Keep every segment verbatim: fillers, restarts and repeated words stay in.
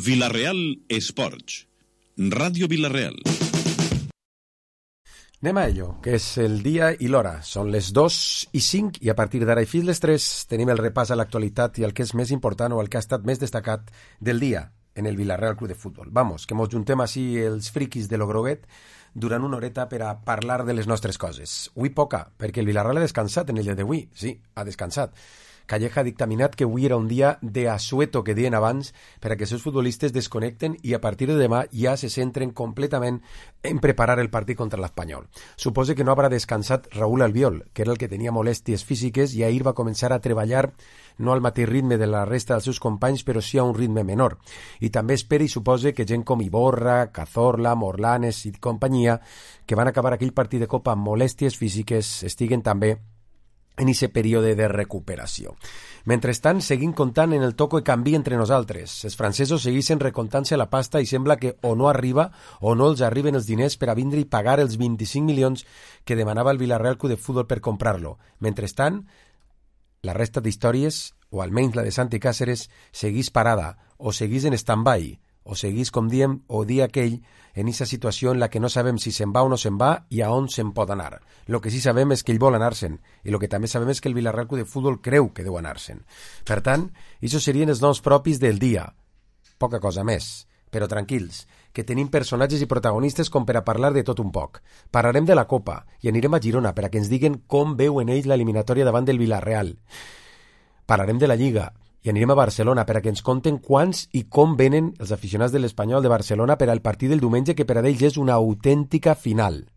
Vila-real Esports, Ràdio Vila-real. Anem a ello, que és el dia i l'hora. Són les dos i cinc i a partir d'ara i fins les tres tenim el repàs a l'actualitat i el que és més important o el que ha estat més destacat del dia en el Vila-real Club de Futbol. Vamos, que mos juntem així els friquis de lo groguet durant una horeta per a parlar de les nostres coses. Avui poca, perquè el Vila-real ha descansat en el dia d'avui. Sí, ha descansat. Calleja ha dictaminat que avui era un dia de asueto, que deien abans, per a que els seus futbolistes desconnecten i a partir de demà ja se centren completament en preparar el partit contra l'Espanyol. Supose que no haurà descansat Raúl Albiol, que era el que tenia molèsties físiques i ahir va començar a treballar no al mateix ritme de la resta dels seus companys, però sí a un ritme menor. I també espera i supose que gent com Iborra, Cazorla, Morlanes i companyia, que van acabar aquell partit de Copa amb molèsties físiques, estiguen també en aquest període de recuperació. Mentrestant, seguim comptant en el toco i canvi entre nosaltres. Els francesos segueixen recomptant-se la pasta i sembla que o no arriba o no els arriben els diners per a vindre i pagar els vint-i-cinc milions que demanava el Vila-real Club de Futbol per comprar-lo. Mentrestant, la resta d'històries, o almenys la de Santi Càceres, segueix parada, o segueix en stand-by, o seguís, com diem, o dia aquell, en aquesta situació en la que no sabem si se'n va o no se'n va i a on se'n pot anar. Lo que sí sabem és que ell vol anar-se'n, i lo que també sabem és que el Vila-real Club de Futbol creu que deu anar-se'n. Per tant, això serien els noms propis del dia. Poca cosa més, però tranquils, que tenim personatges i protagonistes com per a parlar de tot un poc. Parlarem de la Copa i anirem a Girona per a que ens diguen com veuen ells l'eliminatòria davant del Vila-real. Parlarem de la Lliga i anirem a Barcelona per a que ens conten quants i com venen els aficionats de l'Espanyol de Barcelona per al partit del diumenge, que per a ells és una autèntica final.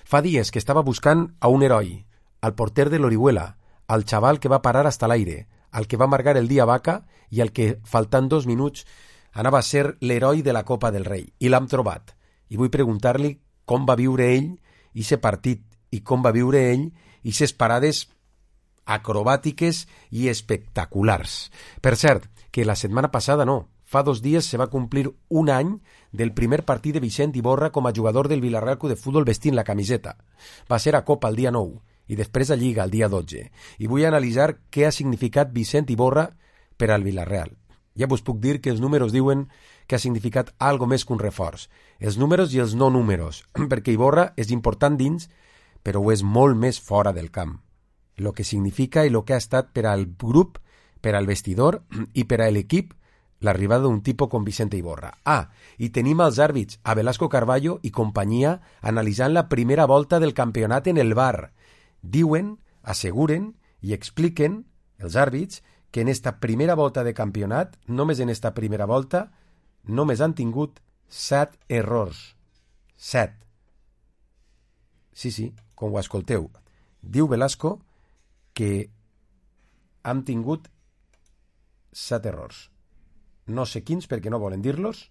Fa dies que estava buscant a un heroi, al porter de l'Orihuela, al xaval que va parar hasta l'aire, al que va amargar el dia a Vaca i al que, faltant dos minuts, anava a ser l'heroi de la Copa del Rei. I l'hem trobat. I vull preguntar-li com va viure ell i partit i com va viure ell i ses parades acrobàtiques i espectaculars. Per cert, que la setmana passada no, fa dos dies se va complir un any del primer partit de Vicent Iborra com a jugador del Vila-real Club de Futbol vestint la camiseta. Va ser a Copa el dia nou i després a Lliga el dia dotze. I vull analitzar què ha significat Vicent Iborra per al Vila-real. Ja vos puc dir que els números diuen que ha significat algo més que un reforç. Els números i els no números, perquè Iborra és important dins, però ho és molt més fora del camp. Lo que significa i lo que ha estat per al grup, per al vestidor i per a l'equip l'arribada d'un tipus com Vicente Iborra. Ah, i tenim els àrbits, a Velasco Carballo i companyia, analitzant la primera volta del campionat en el V A R. Diuen, asseguren i expliquen, els àrbits, que en esta primera volta de campionat, només en esta primera volta, només han tingut set errors. Set. Sí, sí, com ho escolteu. Diu Velasco que han tingut set errors. No sé quins, perquè no volen dir-los,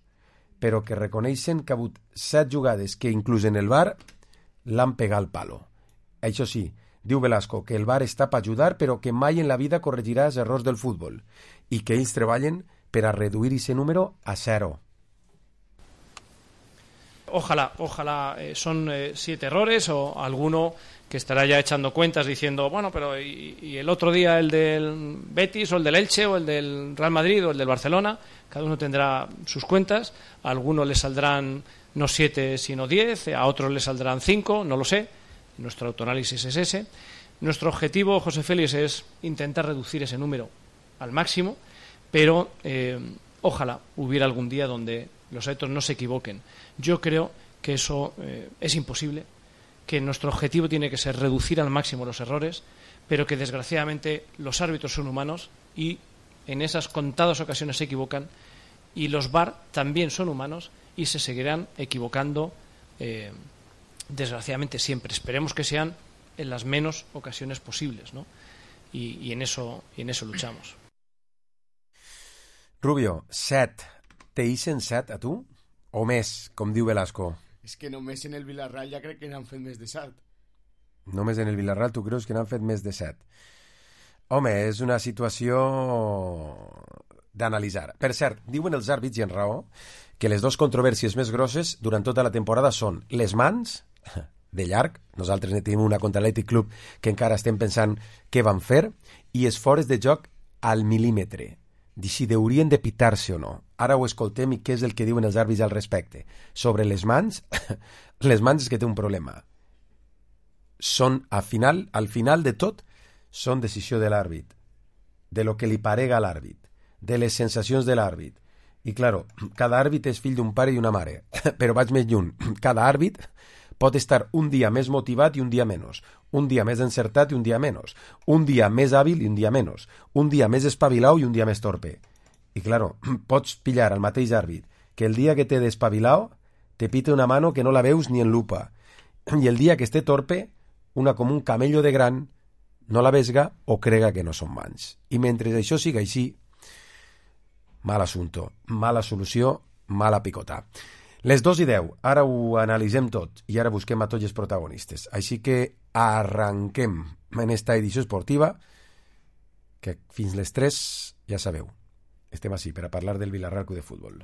però que reconeixen que ha hagut set jugades que, inclús en el V A R, l'han pegat al palo. Això sí, diu Velasco que el V A R està per ajudar, però que mai en la vida corregirà els errors del futbol i que ells treballen per a reduir aquest número a zero. Ojalá, ojalá eh, son eh, siete errores o alguno que estará ya echando cuentas diciendo, bueno, pero y, y el otro día el del Betis o el del Elche o el del Real Madrid o el del Barcelona, cada uno tendrá sus cuentas, a algunos le saldrán no siete sino diez, a otros le saldrán cinco, no lo sé, nuestro autoanálisis es ese. Nuestro objetivo, José Félix, es intentar reducir ese número al máximo, pero eh, ojalá hubiera algún día donde los árbitros no se equivoquen. Yo creo que eso eh, es imposible, que nuestro objetivo tiene que ser reducir al máximo los errores, pero que desgraciadamente los árbitros son humanos y en esas contadas ocasiones se equivocan, y los V A R también son humanos y se seguirán equivocando eh, desgraciadamente siempre. Esperemos que sean en las menos ocasiones posibles, ¿no? Y, y, en eso, y en eso luchamos. Rubio, set. Te ixen set a tu? O més, com diu Velasco? És que només en el Vila-real ja crec que n'han fet més de set. Només en el Vila-real tu creus que n'han fet més de set? Home, és una situació d'analitzar. Per cert, diuen els àrbits, i en raó, que les dues controvèrsies més grosses durant tota la temporada són les mans, de llarg, nosaltres ne tenim una contra l'Atlètic Club que encara estem pensant què van fer, i els fores de joc al mil·límetre, de si haurien de pitar-se o no. ara ho escoltem i què és el que diuen els àrbits al respecte. Sobre les mans, les mans és que té un problema. Són, al final, al final de tot, són decisió de l'àrbit, de lo que li parega a l'àrbit, de les sensacions de l'àrbit. I, claro, cada àrbit és fill d'un pare i una mare, però vaig més lluny. Cada àrbit pot estar un dia més motivat i un dia menys, un dia més encertat i un dia menys, un dia més hàbil i un dia menys, un dia més espavilau i un dia més torpe. I, claro, pots pillar al mateix àrbit que el dia que té d'espavilau te pite una mano que no la veus ni en lupa, i el dia que esté torpe, una com un camello de gran, no la vesga o crega que no són mans. I mentre això siga així, mal assumpto, mala solució, mala picota. Les dos i deu, ara ho analitzem tot i ara busquem a tots els protagonistes. Així que arranquem en esta edició esportiva que fins les tres, ja sabeu, estem així per a parlar del Villarreal Club de Futbol.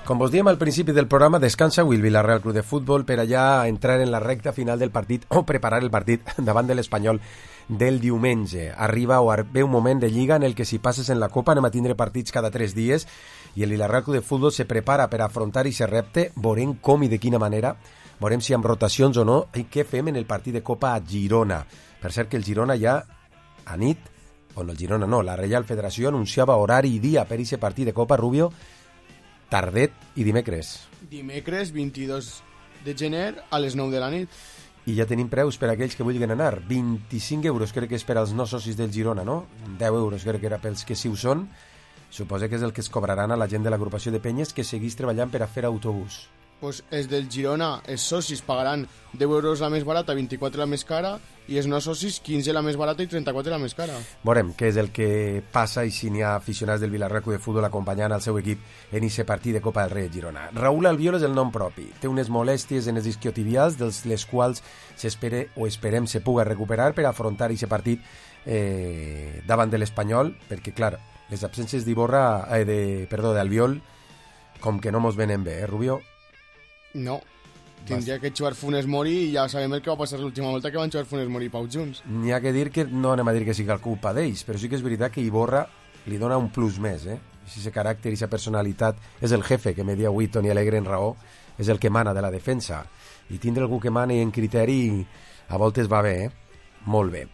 Com vos diem al principi del programa, descansa avui el Villarreal Club de Futbol per allà entrar en la recta final del partit o preparar el partit davant de l'Espanyol del diumenge. Arriba o ve un moment de Lliga en el que si passes en la Copa anem a tindre partits cada tres dies i el Villarreal Club de Futbol se prepara per afrontar i se repte, veurem com i de quina manera, veurem si amb rotacions o no, i què fem en el partit de Copa a Girona. Per cert que el Girona ja a nit, o no el Girona no, la Reial Federació anunciava horari i dia per aquest partit de Copa, Rubio, tardet i dimecres. Dimecres vint-i-dos de gener a les nou de la nit. I ja tenim preus per a aquells que vulguin anar. vint-i-cinc euros crec que és per als no socis del Girona, no? deu euros crec que era pels que sí ho són. Suposo que és el que es cobraran a la gent de l'agrupació de penyes que seguís treballant per a fer autobús. Pues els del Girona, els socis pagaran deu euros la més barata, vint-i-quatre la més cara, i els no socis quinze la més barata i trenta-quatre la més cara. Veurem què és el que passa i si n'hi ha aficionats del Villarreal Club de Futbol acompanyant el seu equip en aquest partit de Copa del Rei de Girona. Raúl Albiol és el nom propi. Té unes molèsties en els isquiotibials, dels les quals s'espera o esperem se puga recuperar per afrontar aquest partit eh, davant de l'Espanyol, perquè, clar, les absències d'Iborra, eh, de, perdó, d'Albiol, com que no mos venen bé, eh, Rubio? No, tindria que jugar Funes Mori i ja sabem el que va passar l'última volta que van jugar Funes Mori i Pau junts. N'hi ha que dir que no anem a dir que sigui el culpa d'ells, però sí que és veritat que Iborra li dona un plus més, eh? Aquest caràcter i aquesta personalitat és el jefe que media avui Toni Alegre en raó, és el que mana de la defensa, i tindre algú que mani en criteri a voltes va bé, eh? Molt bé.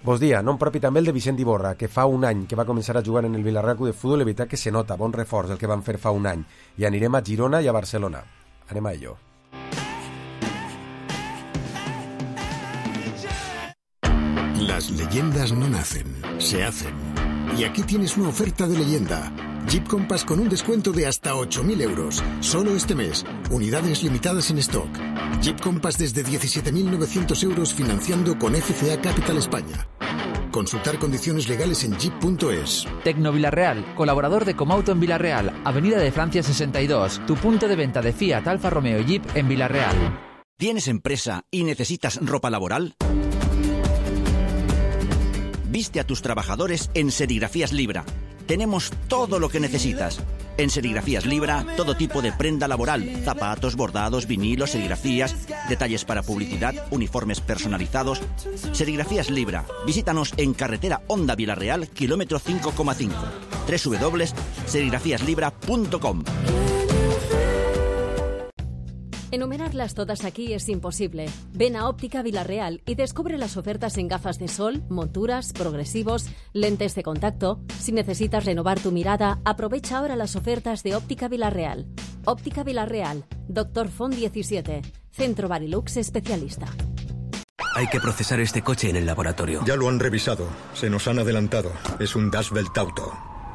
Vos dia, nom propi també el de Vicent Iborra, que fa un any que va començar a jugar en el Villarreal Club de Futbol, la veritat que se nota, bon reforç el que van fer fa un any, i anirem a Girona i a Barcelona. Anem a ello. Las leyendas no nacen, se hacen. Y aquí tienes una oferta de leyenda. Jeep Compass con un descuento de hasta ocho mil euros. Solo este mes. Unidades limitadas en stock. Jeep Compass desde diecisiete mil novecientos euros financiando con F C A Capital España. Consultar condiciones legales en jeep punto es. Tecno Villarreal, colaborador de Comauto en Villarreal, Avenida de Francia sesenta y dos, tu punto de venta de Fiat, Alfa Romeo y Jeep en Villarreal. ¿Tienes empresa y necesitas ropa laboral? Viste a tus trabajadores en Serigrafías Libra. Tenemos todo lo que necesitas. En Serigrafías Libra, todo tipo de prenda laboral, zapatos, bordados, vinilos, serigrafías, detalles para publicidad, uniformes personalizados. Serigrafías Libra. Visítanos en carretera Honda Villarreal, kilómetro cinco coma cinco. doble u doble u doble u punto serigrafías libra punto com. Enumerarlas todas aquí es imposible. Ven a Óptica Villarreal y descubre las ofertas en gafas de sol, monturas, progresivos, lentes de contacto. Si necesitas renovar tu mirada, aprovecha ahora las ofertas de Óptica Villarreal. Óptica Villarreal, Doctor Font diecisiete, Centro Barilux especialista. Hay que procesar este coche en el laboratorio. Ya lo han revisado. Se nos han adelantado. Es un Das Welt Auto.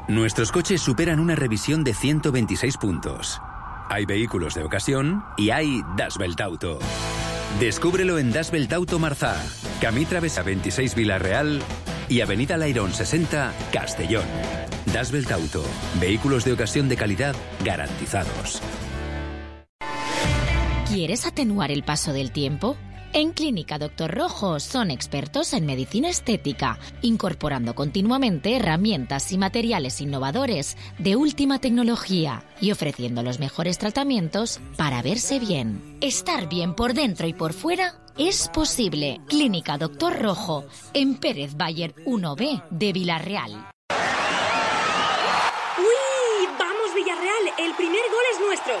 Nuestros coches superan una revisión de ciento veintiséis puntos. Hay vehículos de ocasión y hay Das Welt Auto. Descúbrelo en Das Welt Auto Marzá, Camí Travesa veintiséis Vila-real y Avenida Lairón sesenta, Castellón. Das Welt Auto. Vehículos de ocasión de calidad garantizados. ¿Quieres atenuar el paso del tiempo? En Clínica Doctor Rojo son expertos en medicina estética, incorporando continuamente herramientas y materiales innovadores de última tecnología y ofreciendo los mejores tratamientos para verse bien. Estar bien por dentro y por fuera es posible. Clínica Doctor Rojo, en Pérez Bayer uno B de Vila-real. ¡Uy! ¡Vamos, Villarreal! El primer gol es nuestro.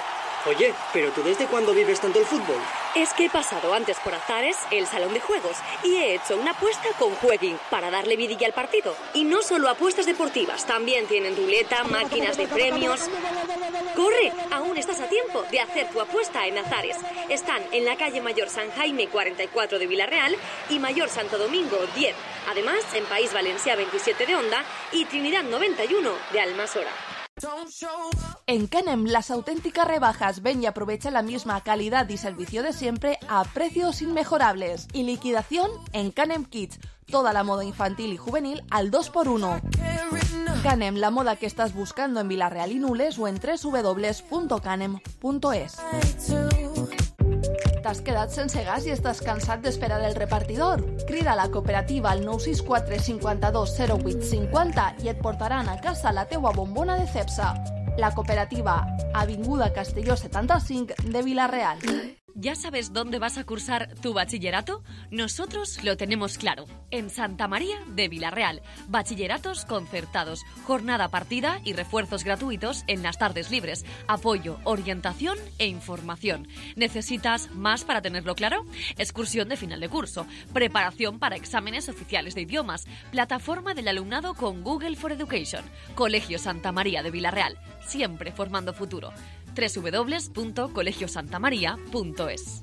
Oye, ¿pero tú desde cuándo vives tanto el fútbol? Es que he pasado antes por Azares, el salón de juegos, y he hecho una apuesta con Jueguin para darle vidilla al partido. Y no solo apuestas deportivas, también tienen ruleta, máquinas de premios. ¡Corre! Aún estás a tiempo de hacer tu apuesta en Azares. Están en la calle Mayor San Jaime cuarenta y cuatro de Vila-real y Mayor Santo Domingo diez. Además, en País Valencià veintisiete de Onda y Trinidad noventa y uno de Almasora. En Canem, las auténticas rebajas. Ven y aprovecha la misma calidad y servicio de siempre a precios inmejorables. Y liquidación en Canem Kids. Toda la moda infantil y juvenil al dos por uno. Canem, la moda que estás buscando en Vila-real y Nules o en doble u doble u doble u punto canem punto es. T'has quedat sense gas i estàs cansat d'esperar el repartidor? Crida a la cooperativa al nou sis quatre cinquanta-dos zero vuit cinquanta i et portaran a casa la teua bombona de Cepsa. La cooperativa, Avinguda Castelló setanta-cinc de Vila-real. ¿Ya sabes dónde vas a cursar tu bachillerato? Nosotros lo tenemos claro. En Santa María de Vila-real. Bachilleratos concertados, jornada partida y refuerzos gratuitos en las tardes libres. Apoyo, orientación e información. ¿Necesitas más para tenerlo claro? Excursión de final de curso, preparación para exámenes oficiales de idiomas, plataforma del alumnado con Google for Education. Colegio Santa María de Vila-real, siempre formando futuro. doble u doble u doble u punto colegio santa maría punto es.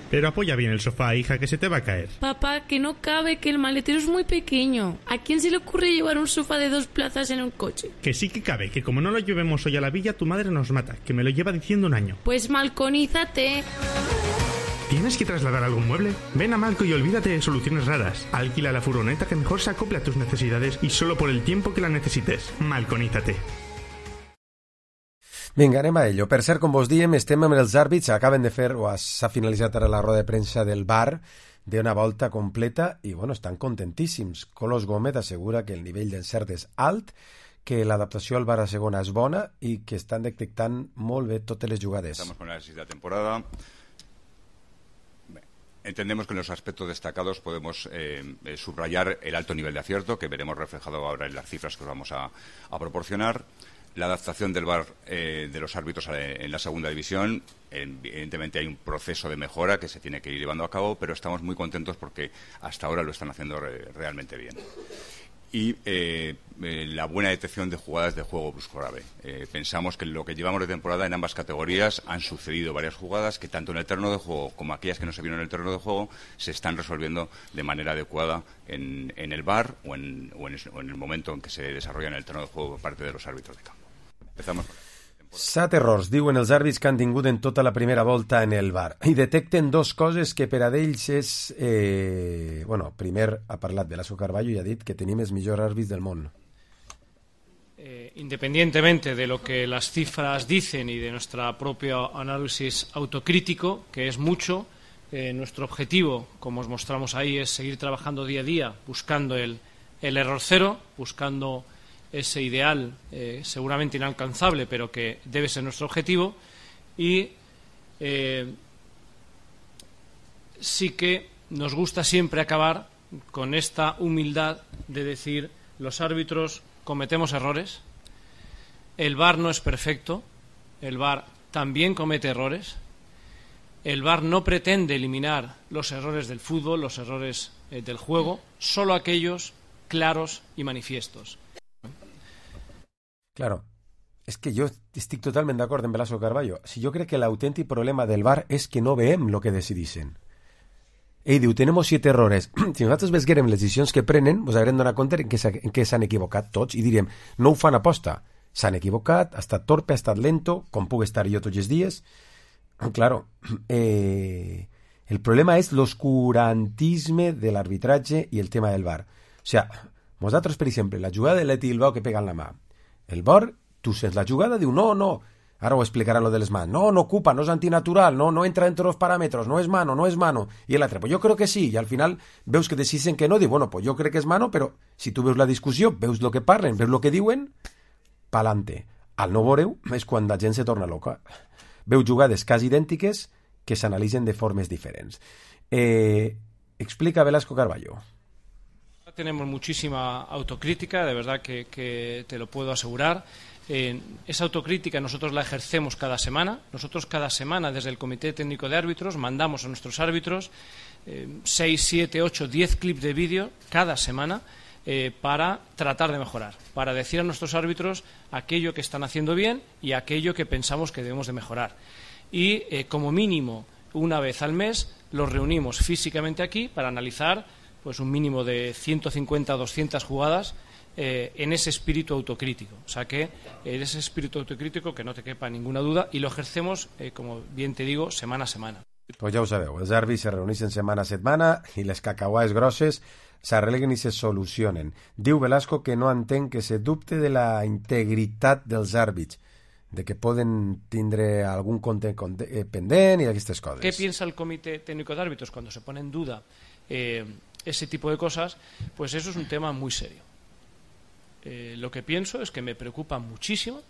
Pero apoya bien el sofá, hija, que se te va a caer. Papá, que no cabe, que el maletero es muy pequeño. ¿A quién se le ocurre llevar un sofá de dos plazas en un coche? Que sí que cabe, que como no lo llevemos hoy a la villa, tu madre nos mata, que me lo lleva diciendo un año. Pues malconízate. ¿Tienes que trasladar algún mueble? Ven a Malco y olvídate de soluciones raras. Alquila la furgoneta que mejor se acople a tus necesidades y solo por el tiempo que la necesites. Malconízate. Vinga, anem a ello. Per cert, com vos diem, estem amb els àrbits. Acaben de fer, o s'ha finalitzat ara la roda de premsa del V A R, d'una volta completa, i bueno, estan contentíssims. Colos Gómez assegura que el nivell d'encert és alt, que l'adaptació al V A R a segona és bona i que estan detectant molt bé totes les jugades. Estamos con el análisis de la temporada. Entendemos que en los aspectos destacados podemos eh, subrayar el alto nivel de acierto, que veremos reflejado ahora en las cifras que os vamos a, a proporcionar. La adaptación del V A R eh, de los árbitros en la segunda división, evidentemente hay un proceso de mejora que se tiene que ir llevando a cabo, pero estamos muy contentos porque hasta ahora lo están haciendo re realmente bien. Y eh, eh, la buena detección de jugadas de juego brusco grave. Eh, pensamos que en lo que llevamos de temporada en ambas categorías han sucedido varias jugadas que tanto en el terreno de juego como aquellas que no se vieron en el terreno de juego se están resolviendo de manera adecuada en, en el V A R o en, o, en, o en el momento en que se desarrolla en el terreno de juego por parte de los árbitros de campo. Empezamos por Set errors, diuen els àrbits que han tingut en tota la primera volta en el V A R. I detecten dos coses que per a d'ells és... Eh... Bueno, primer ha parlat de Lasso Carballo i ha dit que tenim els millors àrbits del món. Eh, independientemente de lo que las cifras dicen y de nuestro propio análisis autocrítico, que es mucho, eh, nuestro objetivo, como os mostramos ahí, es seguir trabajando día a día buscando el, el error cero, buscando ese ideal eh, seguramente inalcanzable, pero que debe ser nuestro objetivo. Y eh, sí que nos gusta siempre acabar con esta humildad de decir: los árbitros cometemos errores, el V A R no es perfecto, el V A R también comete errores, el V A R no pretende eliminar los errores del fútbol, los errores eh, del juego, solo aquellos claros y manifiestos. Claro, és que jo estic totalment d'acord amb Lasso Carballo. Si jo crec que l'autèntic problema del V A R és que no veiem el que decidissin. Ell diu, tenemos siete errores. Si nosaltres vesguérem les decisions que prenen, ens haurem donat compte en què, en què s'han equivocat tots i diríem, no ho fan aposta. S'han equivocat, ha estat torpe, ha estat lento, com puc estar jo tots els dies. Claro, eh, el problema és l'oscurantisme de l'arbitratge i el tema del V A R. O sea, nosaltres, per exemple, la jugada de Leti Bilbao que pega en la mà, el V A R, tu sents la jugada, diu, no, no, ara ho explicarà lo de les mans. No, no ocupa, no és antinatural, no, no entra dentro de los parámetros, no és mano, no és mano. I l'altre, pues jo crec que sí, i al final veus que deciden que no, diu, bueno, pues jo crec que és mano, però si tu veus la discussió, veus lo que parlen, veus lo que diuen, pa'lante. Al no veureu és quan la gent se torna loca. Veu jugades quasi idèntiques que s'analitzen de formes diferents. Eh, explica Velasco Carballo. Tenemos muchísima autocrítica, de verdad que, que te lo puedo asegurar. Eh, esa autocrítica nosotros la ejercemos cada semana. Nosotros cada semana desde el Comité Técnico de Árbitros mandamos a nuestros árbitros eh, seis, siete, ocho, diez clips de vídeo cada semana eh, para tratar de mejorar, para decir a nuestros árbitros aquello que están haciendo bien y aquello que pensamos que debemos de mejorar. Y eh, como mínimo una vez al mes los reunimos físicamente aquí para analizar pues un mínimo de ciento cincuenta a doscientas jugadas eh, en ese espíritu autocrítico. O sea que en ese espíritu autocrítico que no te quepa ninguna duda y lo ejercemos, eh, como bien te digo, semana a semana. Pues ja ho sabeu, els àrbits se reuneixen setmana a setmana i les cacauades grosses s'arreglen i se solucionen. Diu Velasco que no entén que se dubte de la integritat dels àrbits, de que poden tindre algun compte pendent i d'aquestes coses. ¿Qué piensa el Comité Técnico de Árbitros cuando se pone en duda eh, ese tipo de cosas? Pues eso es un tema muy serio. Eh, lo que pienso es que me preocupa muchísimo,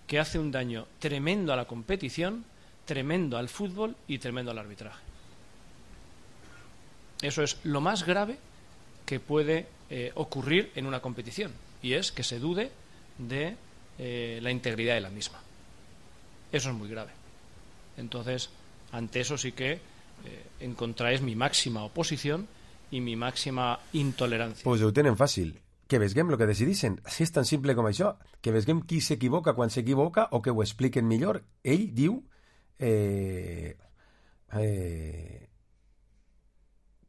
que hace un daño tremendo a la competición, tremendo al fútbol y tremendo al arbitraje. Eso es lo más grave que puede eh, ocurrir en una competición, y es que se dude de eh, la integridad de la misma. Eso es muy grave. Entonces, ante eso sí que eh, encontráis mi máxima oposición i mi màxima intolerancia. Pues ho tenen fàcil. Que vesguem el que decidissin. Si és tan simple com això. Que vesguem qui s'equivoca quan s'equivoca o que ho expliquen millor. Ell diu eh, eh,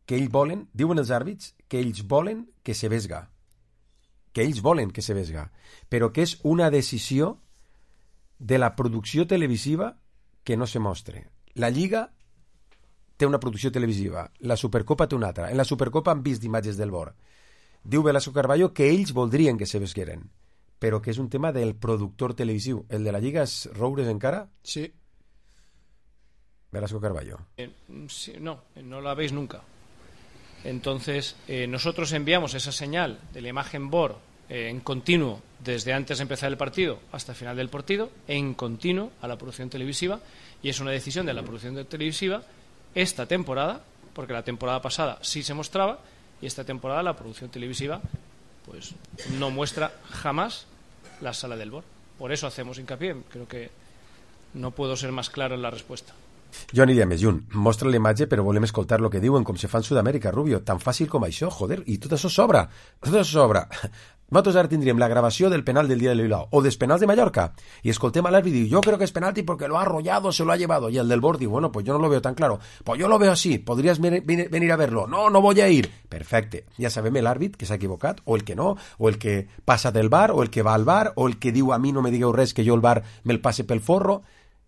que ells volen, diuen els àrbits, que ells volen que se vesga. Que ells volen que se vesga. Però que és una decisió de la producció televisiva que no se mostre. La Lliga té una producció televisiva, la Supercopa té una altra. En la Supercopa han vist imatges del V A R. Diu Velasco Carballo que ells voldrien que se vesgueren, però que és un tema del productor televisiu. El de la Lliga és Roures encara? Sí. Velasco Carballo. Eh, sí, no, no la veis nunca. Entonces, eh, nosotros enviamos esa señal de la imagen V A R eh, en continuo desde antes de empezar el partido hasta el final del partido, en continuo a la producción televisiva, y es una decisión de la producción televisiva esta temporada, porque la temporada pasada sí se mostraba, y esta temporada la producción televisiva pues no muestra jamás la sala del V A R. Por eso hacemos hincapié. Creo que no puedo ser más claro en la respuesta. Jo aniria més lluny. Mostra la imatge, però volem escoltar el que diuen, com se fa en Sud-amèrica, Rubio. Tan fàcil com això, joder. I tot això sobra. Tot això sobra. Nosaltres ara tindríem la gravació del penal del dia de Bilbao o dels penals de Mallorca y escoltem a l'àrbit y diu, yo creo que es penalti porque lo ha arrollado, se lo ha llevado, y el del bord diu, bueno, pues yo no lo veo tan claro, pues yo lo veo así, podrías venir a verlo, no, no voy a ir, perfecte, ja sabem el àrbit que s'ha equivocat, o el que no, o el que passa del bar, o el que va al bar, o el que diu a mi no me digueu res que jo el bar me'l passe pel forro.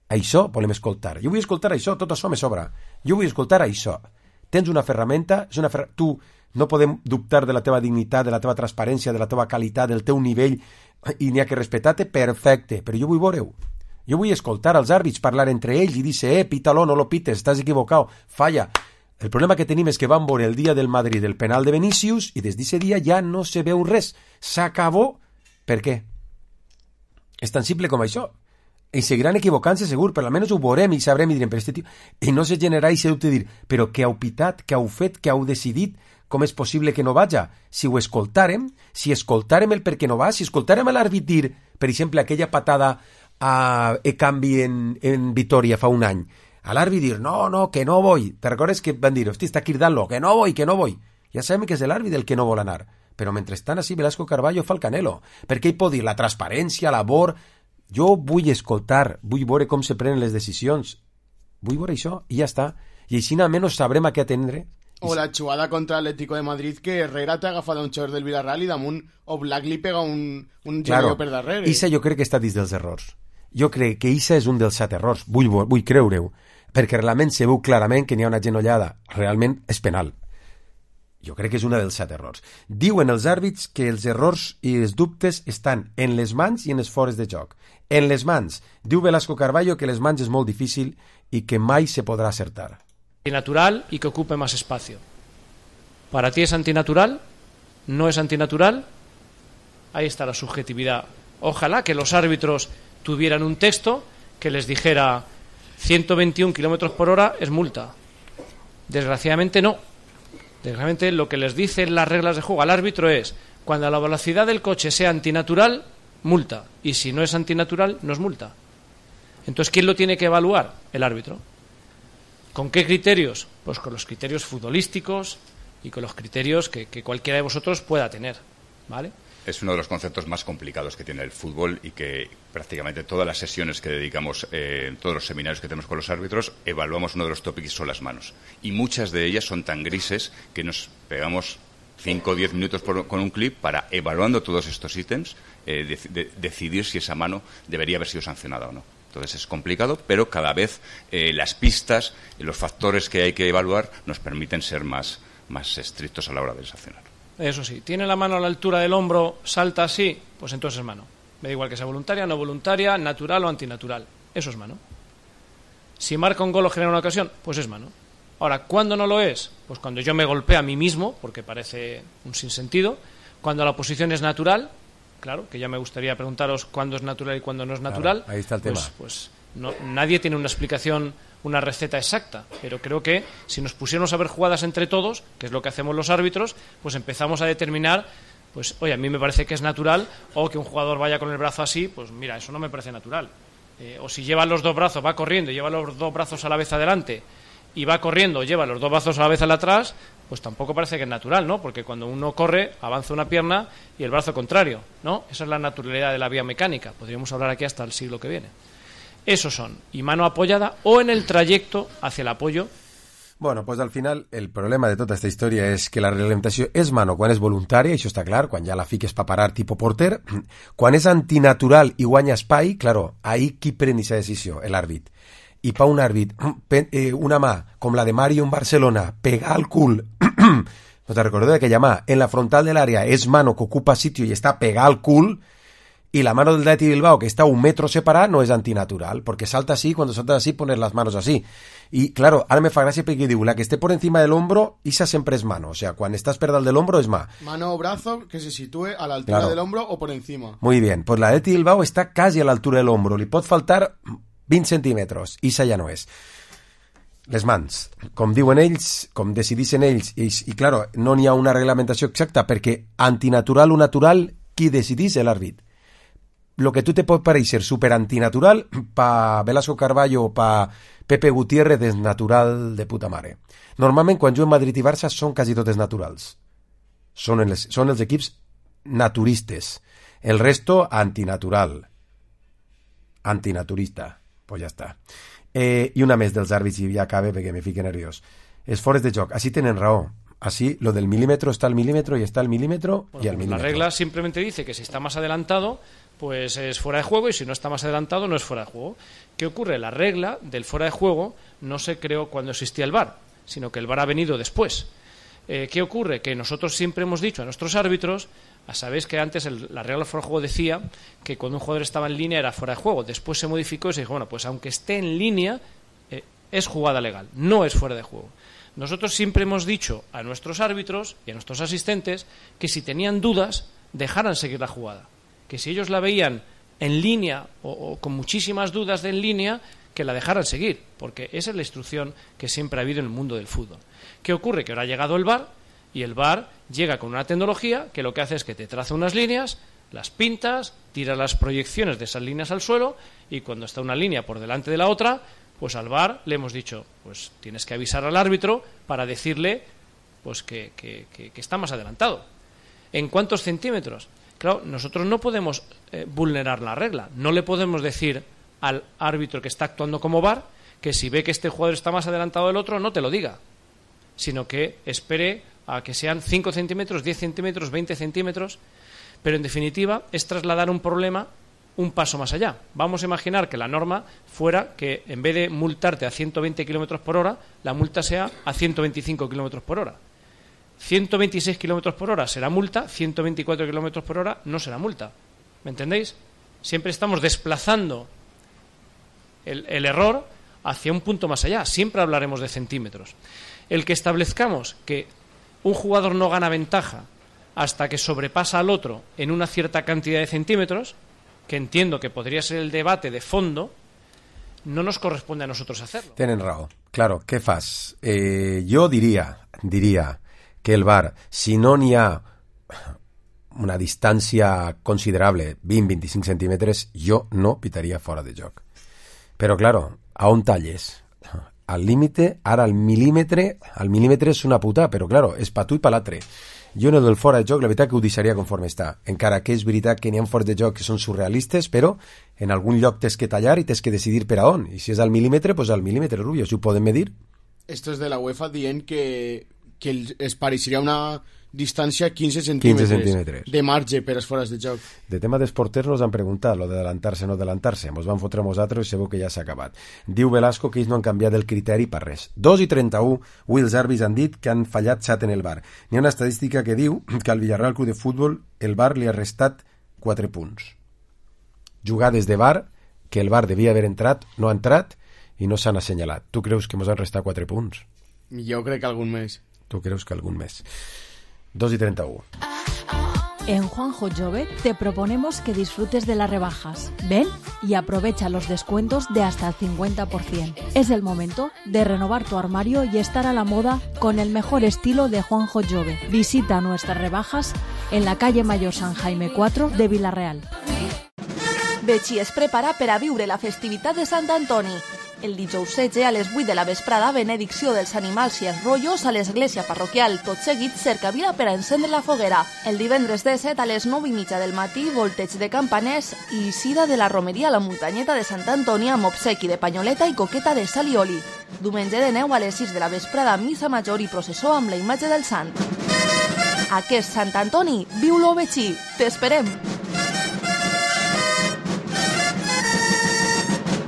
Això volem escoltar, jo vull escoltar això, tot això me sobra, jo vull escoltar això. Tens una ferramenta, és una fer... tu no podem dubtar de la teva dignitat, de la teva transparència, de la teva qualitat, del teu nivell, i n'hi ha que respectar-te, perfecte, però jo vull veure-ho. Jo vull escoltar els àrbits parlar entre ells i dir, eh, pítalo, no lo pites, estàs equivocat, falla. El problema que tenim és que van veure el dia del Madrid el penal de Vinícius i des d'aquest dia ja no se veu res. S'acabó. Per què? És tan simple com això. I seguiran equivocant-se segur, però almenys ho veurem i sabrem i direm, però este tio... I no se generarà i se dubte dir, però què heu pitat, què heu fet, què heu decidit, com és possible que no vaja? Si ho escoltàrem, si escoltàrem el per què no va, si escoltàrem a l'àrbit dir, per exemple, aquella patada a Ekambi en, en Vitoria fa un any, a l'àrbit dir, no, no, que no vull. Te recordes que van dir, hosti, està cridant-lo, que no vull, que no vull. Ja sabem que és l'àrbit el que no vol anar. Però mentrestant així Velasco Carballo fa el canelo. Perquè ell pot dir la transparència, l'abor... Jo vull escoltar, vull veure com se prenen les decisions, vull veure això i ja està, i així almenys sabrem a què atendre O la jugada contra l'Atlético de Madrid, que Herrera t'ha agafat un jugador del Villarreal i damunt Oblak li pega un, un claro, genio per darrere. Issa jo crec que està dins dels errors. Jo crec que Issa és un dels set errors, vull, vull creure-ho, perquè realment se veu clarament que n'hi ha una genollada, realment és penal. Jo crec que és una dels set errors. Diuen els àrbits que els errors i els dubtes estan en les mans i en els fores de joc. En les mans. Diu Velasco Carballo que les mans és molt difícil i que mai se podrà acertar. Antinatural y que ocupe más espacio. ¿Para ti es antinatural? ¿No es antinatural? Ahí está la subjetividad. Ojalá que los árbitros tuvieran un texto que les dijera ciento veintiún kilómetros por hora es multa. Desgraciadamente no. Desgraciadamente lo que les dicen las reglas de juego al árbitro es: cuando la velocidad del coche sea antinatural, multa. Y si no es antinatural, no es multa. Entonces, ¿quién lo tiene que evaluar? El árbitro. ¿Con qué criterios? Pues con los criterios futbolísticos y con los criterios que, que cualquiera de vosotros pueda tener, ¿vale? Es uno de los conceptos más complicados que tiene el fútbol y que prácticamente todas las sesiones que dedicamos, eh, todos los seminarios que tenemos con los árbitros, evaluamos uno de los tópicos son las manos. Y muchas de ellas son tan grises que nos pegamos cinco o diez minutos por, con un clip para, evaluando todos estos ítems, eh, de, de, decidir si esa mano debería haber sido sancionada o no. Entonces es complicado, pero cada vez eh, las pistas y los factores que hay que evaluar nos permiten ser más, más estrictos a la hora de sancionar. Eso sí, tiene la mano a la altura del hombro, salta así, pues entonces es mano. Me da igual que sea voluntaria, no voluntaria, natural o antinatural. Eso es mano. Si marca un gol o genera una ocasión, pues es mano. Ahora, ¿cuándo no lo es? Pues cuando yo me golpeo a mí mismo, porque parece un sinsentido. Cuando la posición es natural, claro, que ya me gustaría preguntaros cuándo es natural y cuándo no es natural. Claro, ahí está el pues, tema. Pues no, nadie tiene una explicación, una receta exacta, pero creo que si nos pusiéramos a ver jugadas entre todos, que es lo que hacemos los árbitros, pues empezamos a determinar, pues oye, a mí me parece que es natural, o que un jugador vaya con el brazo así, pues mira, eso no me parece natural. Eh, o si lleva los dos brazos, va corriendo y lleva los dos brazos a la vez adelante, y va corriendo, lleva los dos brazos a la vez al atrás, pues tampoco parece que es natural, ¿no? Porque cuando uno corre, avanza una pierna y el brazo contrario, ¿no? Esa es la naturalidad de la vía mecánica. Podríamos hablar aquí hasta el siglo que viene. Esos son, y mano apoyada o en el trayecto hacia el apoyo. Bueno, pues al final el problema de tota esta història és que la reglamentació és mano quan és voluntària, això està clar, quan ja la fiques pa parar tipo porter. Quan és antinatural i guanya espai, claro, ahí qui pren aquesta decisió? L'àrbit. I pa un àrbit, una mà com la de Mario en Barcelona, pegar al cul, no te recordo d'aquella mà, en la frontal de l'àrea és mano que ocupa sitio i està pegar al cul, y la mano del Athletic Bilbao, que está un metro separada, no es antinatural, porque salta así, cuando salta así, pones las manos así. Y claro, ahora me fa gràcia perquè diu, la que esté por encima del hombro, esa siempre es mano. O sea, cuando estás per dalt del hombro es mà. Mano o brazo que se sitúe a la altura claro. del hombro o por encima. Muy bien, pues la Athletic Bilbao está casi a la altura del hombro. Li pot faltar vint centímetres. Issa ja no és. Les mans, com diuen ells, com decidissin ells, i, i claro, no n'hi ha una reglamentació exacta, perquè antinatural o natural, qui decidís l'àrbit? Lo que tú te puede parecer súper antinatural, pa Velasco Carballo o pa Pepe Gutiérrez és natural de puta mare. Normalment, quan juguen Madrid i Barça, són quasi totes naturals. Són els, són els equips naturistes. El resto, antinatural. Antinaturista. Pues ja està. Eh, I una més dels àrbits i ja acabe perquè me fique nerviós. Els fores de joc. Així tenen raó. Así, lo del milímetro está al milímetro y está al milímetro bueno, y al pues milímetro. La regla simplemente dice que si está más adelantado, pues es fuera de juego, y si no está más adelantado, no es fuera de juego. ¿Qué ocurre? La regla del fuera de juego no se creó cuando existía el V A R, sino que el V A R ha venido después. Eh, ¿Qué ocurre? Que nosotros siempre hemos dicho a nuestros árbitros, a sabéis que antes el, la regla del fuera de juego decía que cuando un jugador estaba en línea era fuera de juego. Después se modificó y se dijo, bueno, pues aunque esté en línea, eh, es jugada legal, no es fuera de juego. Nosotros siempre hemos dicho a nuestros árbitros y a nuestros asistentes que si tenían dudas, dejaran seguir la jugada. Que si ellos la veían en línea o, o con muchísimas dudas de en línea, que la dejaran seguir, porque esa es la instrucción que siempre ha habido en el mundo del fútbol. ¿Qué ocurre? Que ahora ha llegado el V A R y el V A R llega con una tecnología que lo que hace es que te traza unas líneas, las pintas, tira las proyecciones de esas líneas al suelo y cuando está una línea por delante de la otra, pues al V A R le hemos dicho, pues tienes que avisar al árbitro para decirle pues que, que, que, que está más adelantado. ¿En cuántos centímetros? Claro, nosotros no podemos eh, vulnerar la regla. No le podemos decir al árbitro que está actuando como V A R que si ve que este jugador está más adelantado del otro, no te lo diga. sino que espere a que sean cinco centímetros, diez centímetros, veinte centímetros, pero en definitiva es trasladar un problema un paso más allá. Vamos a imaginar que la norma fuera que en vez de multarte a ciento veinte kilómetros por hora, la multa sea a ciento veinticinco kilómetros por hora. ciento veintiséis kilómetros por hora será multa, ciento veinticuatro kilómetros por hora no será multa. ¿Me entendéis? Siempre estamos desplazando el, el error hacia un punto más allá. Siempre hablaremos de centímetros. El que establezcamos que un jugador no gana ventaja hasta que sobrepasa al otro en una cierta cantidad de centímetros, que entiendo que podría ser el debate de fondo, no nos corresponde a nosotros hacerlo. Tenen raó. Claro, què fas? Eh, jo diria, diria que el V A R, si no n'hi ha una distància considerable, vint a vint-i-cinc centímetres, jo no pitaria fora de joc. Però, claro, a on talles? Al límite, ara al mil·límetre, al mil·límetre és una puta, però, claro, és pa tu i pa l'altre. Jo en el del fora de joc, la veritat que ho deixaria conforme està. Encara que és veritat que n'hi ha fora de joc que són surrealistes, però en algun lloc tens que tallar i tens que decidir per a on. I si és al mil·límetre, doncs al mil·límetre, Rubio, si ho poden medir. Esto es de la UEFA dient que, que es pareixeria una distància quinze centímetres, quinze centímetres de marge per als fores de joc. De tema dels porters nos han preguntat lo d'adelantar-se o no adelantar-se. Ens van fotre nosaltres i segur que ja s'ha acabat. Diu Velasco que ells no han canviat el criteri per res. dos i trenta-u, avui els àrbits han dit que han fallat set en el V A R. N'hi ha una estadística que diu que al Villarreal Club de Futbol el V A R li ha restat quatre punts. Jugades de V A R que el V A R devia haver entrat, no ha entrat i no s'han assenyalat. Tu creus que ens han restat quatre punts? Jo crec que algun més. Tu creus que algun més? dos y treinta y uno. En Juanjo Jove te proponemos que disfrutes de las rebajas. Ven y aprovecha los descuentos de hasta el cincuenta por ciento. Es el momento de renovar tu armario y estar a la moda con el mejor estilo de Juanjo Jove. Visita nuestras rebajas en la calle Mayor San Jaime cuatro de Vila-real. Betxí es prepara per a viure la festivitat de Sant Antoni. El dijous setze a les vuit de la vesprada, benedicció dels animals i els rotllos a l'església parroquial. Tot seguit, cercavila per a encendre la foguera. El divendres disset a les nou i mitja del matí, volteig de campaners i eixida de la romeria a la muntanyeta de Sant Antoni amb obsequi de panyoleta i coqueta de sal i oli. Diumenge de neu a les sis de la vesprada, missa major i processó amb la imatge del sant. Aquest Sant Antoni, viu-lo Betxí. T'esperem!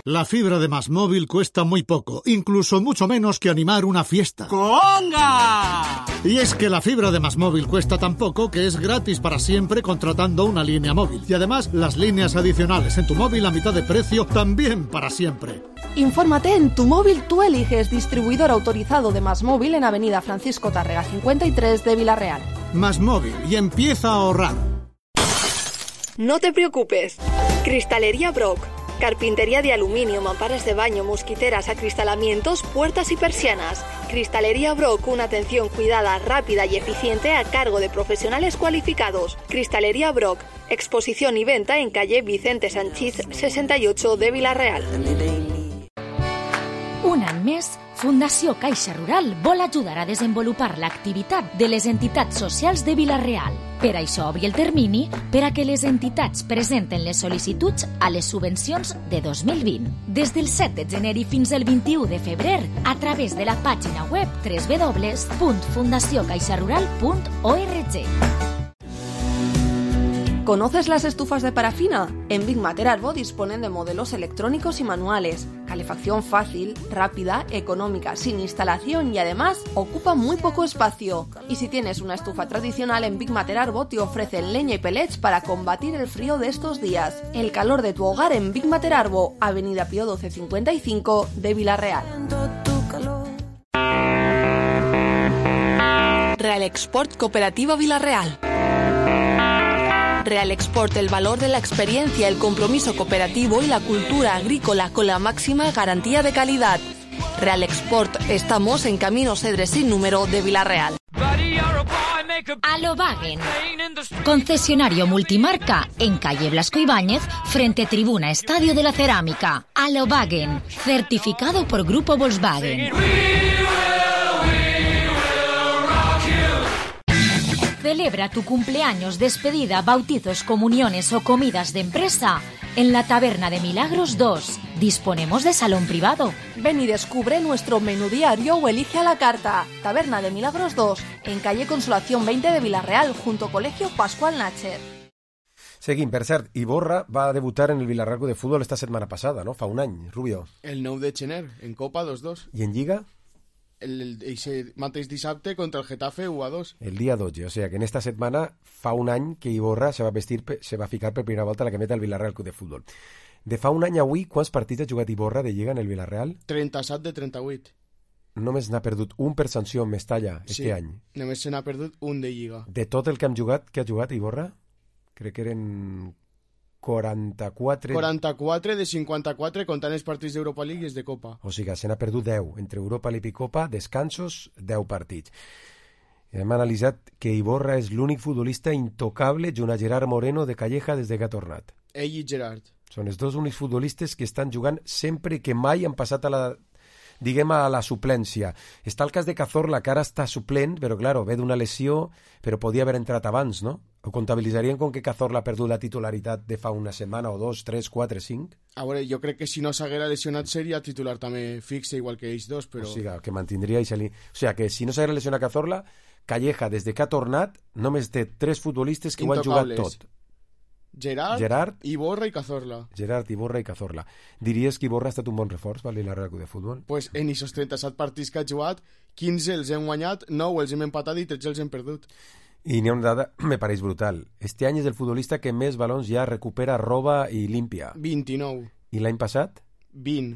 La fibra de Más Móvil cuesta muy poco, incluso mucho menos que animar una fiesta. ¡Conga! Y es que la fibra de Más Móvil cuesta tan poco que es gratis para siempre contratando una línea móvil. Y además, las líneas adicionales en tu móvil a mitad de precio también para siempre. Infórmate en Tu Móvil Tú Eliges, distribuidor autorizado de Más Móvil en Avenida Francisco Tárrega cincuenta y tres de Vila-real. Más Móvil y empieza a ahorrar. No te preocupes. Cristalería Brock. Carpintería de aluminio, mamparas de baño, mosquiteras, acristalamientos, puertas y persianas. Cristalería Brock, una atención cuidada, rápida y eficiente a cargo de profesionales cualificados. Cristalería Brock, exposición y venta en calle Vicente Sanchís sesenta y ocho de Vila-real. Un any més, Fundació Caixa Rural vol ajudar a desenvolupar l'activitat de les entitats socials de Vila-real. Per això obri el termini per a que les entitats presenten les sol·licituds a les subvencions de dos mil vint. Des del set de gener i fins al vint-i-u de febrer, a través de la pàgina web doble u doble u doble u punt fundació caixa rural punt org. ¿Conoces las estufas de parafina? En Big Mater Arbo disponen de modelos electrónicos y manuales. Calefacción fácil, rápida, económica, sin instalación y además ocupa muy poco espacio. Y si tienes una estufa tradicional, en Big Mater Arbo te ofrecen leña y pellets para combatir el frío de estos días. El calor de tu hogar en Big Mater Arbo, Avenida Pío doce cincuenta y cinco de Vila-real. Real Export Cooperativa Vila-real. Real Export, el valor de la experiencia, el compromiso cooperativo y la cultura agrícola con la máxima garantía de calidad. Real Export, estamos en Camino Cedre sin número de Vila-real. Alobagen, concesionario multimarca en calle Blasco Ibáñez, frente Tribuna Estadio de la Cerámica. Alobagen, certificado por Grupo Volkswagen. Celebra tu cumpleaños, despedida, bautizos, comuniones o comidas de empresa en la Taberna de Milagros dos. Disponemos de salón privado. Ven y descubre nuestro menú diario o elige a la carta. Taberna de Milagros dos, en calle Consolación veinte de Villarreal, junto Colegio Pascual Nácher. Seguim, per cert, Iborra va debutar en el Villarreal Club de Fútbol esta setmana passada, no? Fa un any, Rubio. El nou de gener, en Copa dos dos. I en Lliga? El, el, el mateix dissabte contra el Getafe u a dos. El día doce, o sea que en esta setmana fa un any que Iborra se va vestir, se va ficar per primera volta a la cameta del Villarreal Club de Fútbol. De fa un any avui, quants partits ha jugat Iborra de Lliga en el Villarreal? trenta-set de trenta-vuit. Només n'ha perdut un per sanció en Mestalla sí, este any. Només se n'ha perdut un de Lliga. De tot el que hem jugat, que ha jugat Iborra? Crec que eren quaranta-quatre... quaranta-quatre de cinquanta-quatre comptant els partits d'Europa League i els de Copa. O sigui, se n'ha perdut deu. Entre Europa League i Copa, descansos, deu partits. Hem analitzat que Iborra és l'únic futbolista intocable junt a Gerard Moreno de Calleja des que ha tornat. Ell i Gerard. Són els dos únics futbolistes que estan jugant sempre que mai han passat a la, diguem, a la suplència. Està el cas de Cazorla, que ara està suplent, però, claro, ve d'una lesió, però podia haver entrat abans, no? Ho comptabilitzarien com que Cazorla ha perdut la titularitat de fa una setmana o dos, tres, quatre, cinc? A veure, jo crec que si no s'haguera lesionat seria titular també fixe, igual que ells dos, però... O sigui, que mantindria i salir... O sigui, que si no s'haguera lesionat Cazorla, Calleja, des que ha tornat, només té tres futbolistes que ho han jugat tot. Gerard, Gerard, Iborra i Cazorla. Gerard, Iborra i Cazorla. Diries que Iborra ha estat un bon reforç per l'Villarreal Club de Futbol? Pues en aquests trenta-set partits que ha jugat, quinze els hem guanyat, nou els hem empatat i tretze els hem perdut. I n'hi ha una dada, me pareix brutal. Este any és el futbolista que més balons ja recupera, roba i limpia. vint-i-nou. I l'any passat? vint.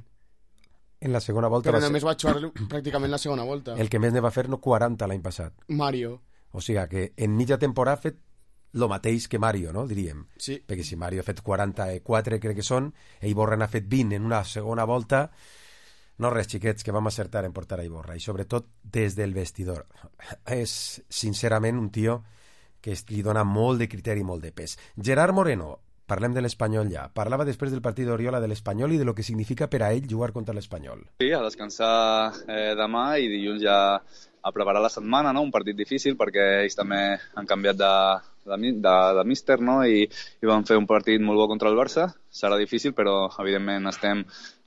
En la segona volta Però va només ser... va jugar pràcticament la segona volta. El que més ne va fer, no, quaranta l'any passat. Mario. O sigui que en mitja temporada ha fet el mateix que Mario, no? Diríem. Sí. Perquè si Mario ha fet quaranta-quatre, crec que són, i Iborra n'ha fet vint en una segona volta... No res, xiquets, que vam acertar en portar a Iborra, i sobretot des del vestidor. És, sincerament, un tio que li dona molt de criteri i molt de pes. Gerard Moreno, parlem de l'Espanyol ja, parlava després del partit d'Oriola de l'Espanyol i de lo que significa per a ell jugar contra l'Espanyol. Sí, a descansar eh, demà i dilluns ja a preparar la setmana, no? Un partit difícil perquè ells també han canviat de, de, de, de míster, no? I, i van fer un partit molt bo contra el Barça. Serà difícil, però evidentment estem,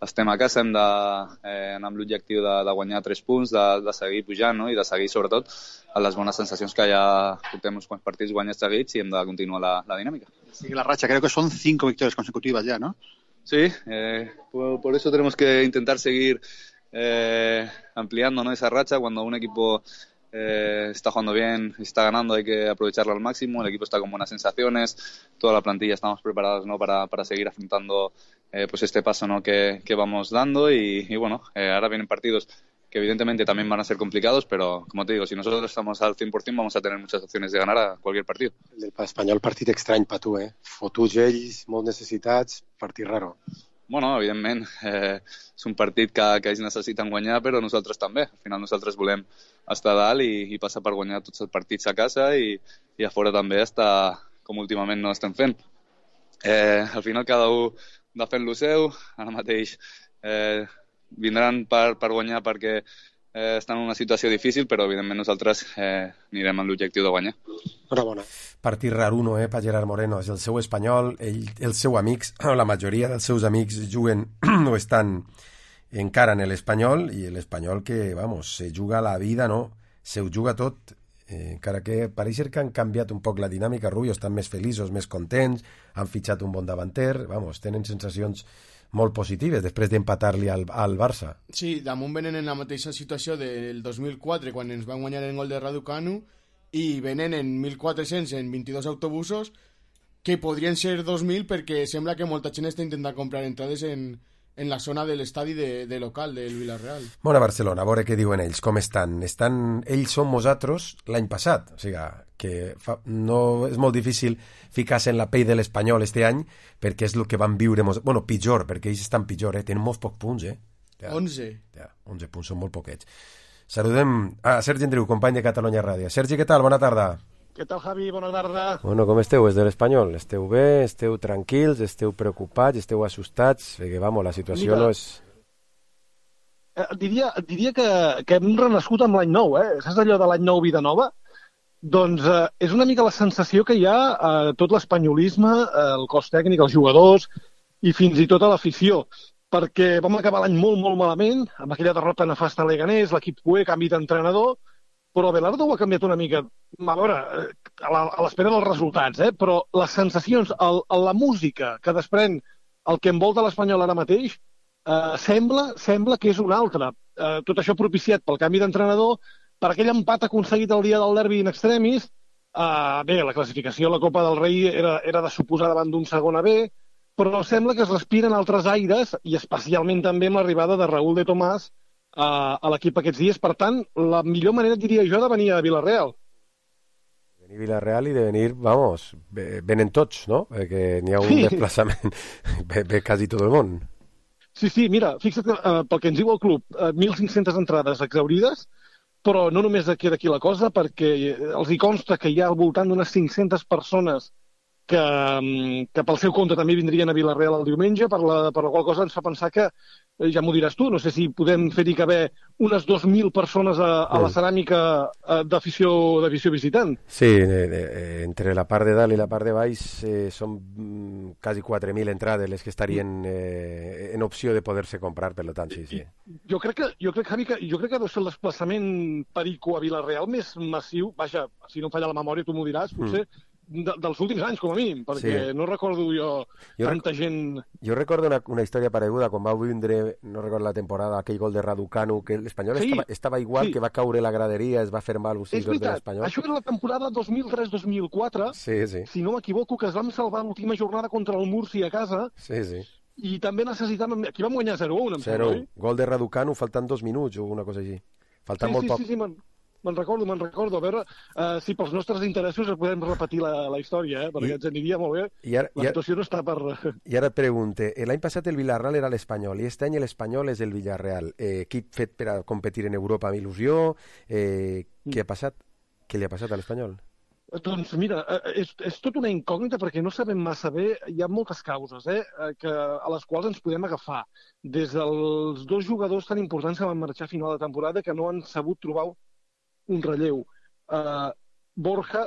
estem a casa, hem d'anar eh, amb l'objectiu de, de guanyar tres punts, de, de seguir pujant, no? I de seguir sobretot a les bones sensacions que ja portem uns quants partits guanyats seguits i hem de continuar la, la dinàmica. Sigue la racha, creo que son cinco victorias consecutivas ya, ¿no? Sí, eh, por, por eso tenemos que intentar seguir Eh, ampliando, ¿no? Esa racha. Cuando un equipo eh, está jugando bien, está ganando, hay que aprovecharlo al máximo. El equipo está con buenas sensaciones, toda la plantilla estamos preparados, ¿no? para, para seguir afrontando eh, pues este paso, ¿no? que, que vamos dando y, y bueno, eh, ahora vienen partidos que evidentemente también van a ser complicados, pero como te digo, si nosotros estamos al cien por ciento vamos a tener muchas opciones de ganar a cualquier partido. El del Espanyol, partit estrany per tu, eh? Fotuts ells, molt necessitats, partit raro. Bueno, evidentment, eh, és un partit que, que ells necessiten guanyar, però nosaltres també. Al final nosaltres volem estar a dalt i, i passar per guanyar tots els partits a casa i, i a fora també estar com últimament no estem fent. Eh, al final cada un va fent lo seu, ara mateix eh, vindran per, per guanyar perquè eh, estan en una situació difícil, però evidentment nosaltres eh, anirem amb l'objectiu de guanyar. Enhorabona. Partit raruno, eh, per Gerard Moreno. És el seu Espanyol, ell, els seus amics, la majoria dels seus amics juguen o estan encara en l'Espanyol, i l'Espanyol que, vamos, se juga la vida, no? Se ho juga tot, eh, encara que pareix que han canviat un poc la dinàmica, Rubio, estan més feliços, més contents, han fitxat un bon davanter, vamos, tenen sensacions molt positives després d'empatar-li al, al Barça. Sí, damunt venen en la mateixa situació del dos mil quatre, quan ens van guanyar el gol de Raducanu, i venen en mil quatre-cents en vint-i-dos autobusos, que podrien ser dos mil perquè sembla que molta gent està intentant comprar entrades en, en la zona de l'estadi de, de local del Villarreal. Bona Barcelona, a veure què diuen ells, com estan. estan ells són nosaltres l'any passat, o sigui que fa, no és molt difícil ficar-se en la pell de l'Espanyol este any, perquè és el que van viure, bueno, pitjor, perquè ells estan pitjor, eh? Tenen molts pocs punts, eh? Ja, onze. Ja, onze punts, són molt poquets. Saludem a Sergi Andreu, company de Catalunya Ràdio. Sergi, què tal? Bona tarda. Què tal, Javi? Bona tarda. Bueno, com esteu, des de l'Espanyol? Esteu bé? Esteu tranquils? Esteu preocupats? Esteu assustats? Perquè, vamos, la situació Mira, no és... Eh, diria, diria que, que hem renascut amb l'any nou, eh? Saps allò de l'any nou, vida nova? Doncs eh, és una mica la sensació que hi ha a eh, tot l'espanyolisme, eh, el cos tècnic, els jugadors i fins i tot a l'afició, perquè vam acabar l'any molt, molt malament, amb aquella derrota nefasta a Leganés, l'equip cué, canvi d'entrenador, però Abelardo ho ha canviat una mica, a veure, a la- a l'espera dels resultats, eh? Però les sensacions, el, la música que desprèn el que envolta l'Espanyol ara mateix, eh, sembla, sembla que és una altra. Eh, tot això propiciat pel canvi d'entrenador, per aquell empat aconseguit el dia del derbi in extremis. Eh, bé, la classificació a la Copa del Rei era, era de suposar davant d'un segon A B, però sembla que es respiren altres aires, i especialment també amb l'arribada de Raúl de Tomàs a, a l'equip aquests dies. Per tant, la millor manera, diria jo, de venir a Villarreal. Venir a Villarreal i de venir, vamos, ve- venen tots, no? Perquè n'hi ha un Sí. desplaçament, ve, ve quasi tot el món. Sí, sí, mira, fixa't, eh, pel que ens diu el club, eh, mil cinc-centes entrades exaurides, però no només aquí d'aquí la cosa, perquè eh, els hi consta que hi ha al voltant d'unes cinc-centes persones que, mm, que pel seu compte també vindrien a Villarreal el diumenge, per la, per la qual cosa ens fa pensar que, eh, ja m'ho diràs tu, no sé si podem fer-hi caber unes dos mil persones a, a la Mm. ceràmica eh, d'afició d'afició visitant. Sí, eh, eh, entre la part de dalt i la part de baix eh, són mm, quasi quatre mil entrades les que estarien eh, en opció de poder-se comprar, per tant, sí, sí. Jo crec que, jo crec, Javi, que, jo crec que deu ser el desplaçament perico a Villarreal més massiu, vaja, si no em falla la memòria, tu m'ho diràs, potser, de, dels últims anys, com a mínim, perquè Sí. no recordo jo, Jo tanta gent... Jo recordo una, una història pareguda quan va vindre, no recordo la temporada, aquell gol de Raducanu, que l'Espanyol Sí, estava, estava igual, sí. que va caure la graderia, es va fer mal els És sis de veritat, l'Espanyol. això era la temporada dos mil tres dos mil quatre, Sí, sí, si no m'equivoco, que es vam salvar l'última jornada contra el Murcia a casa, sí, sí. i també necessitàvem... Aquí vam guanyar zero a un, em Zero. sembla, oi? Gol de Raducanu faltant dos minuts o una cosa així. Faltant Sí, molt sí, poc. sí, sí, me'n me'n recordo, me'n recordo. A veure uh, si pels nostres interessos podem repetir la, la història, eh? perquè I- ens aniria molt bé. I ara, La i ara, situació no està per... i ara et pregunte, eh, l'any passat el Villarreal era l'Espanyol i aquest any l'Espanyol és el Villarreal. Eh, equip fet per a competir en Europa amb il·lusió. Eh, què ha passat? Què li ha passat a l'Espanyol? Doncs mira, eh, és, és tot una incògnita perquè no sabem massa bé, hi ha moltes causes eh, eh, que, a les quals ens podem agafar. Des dels dos jugadors tan importants que van marxar a final de temporada que no han sabut trobar un relleu. Uh, Borja,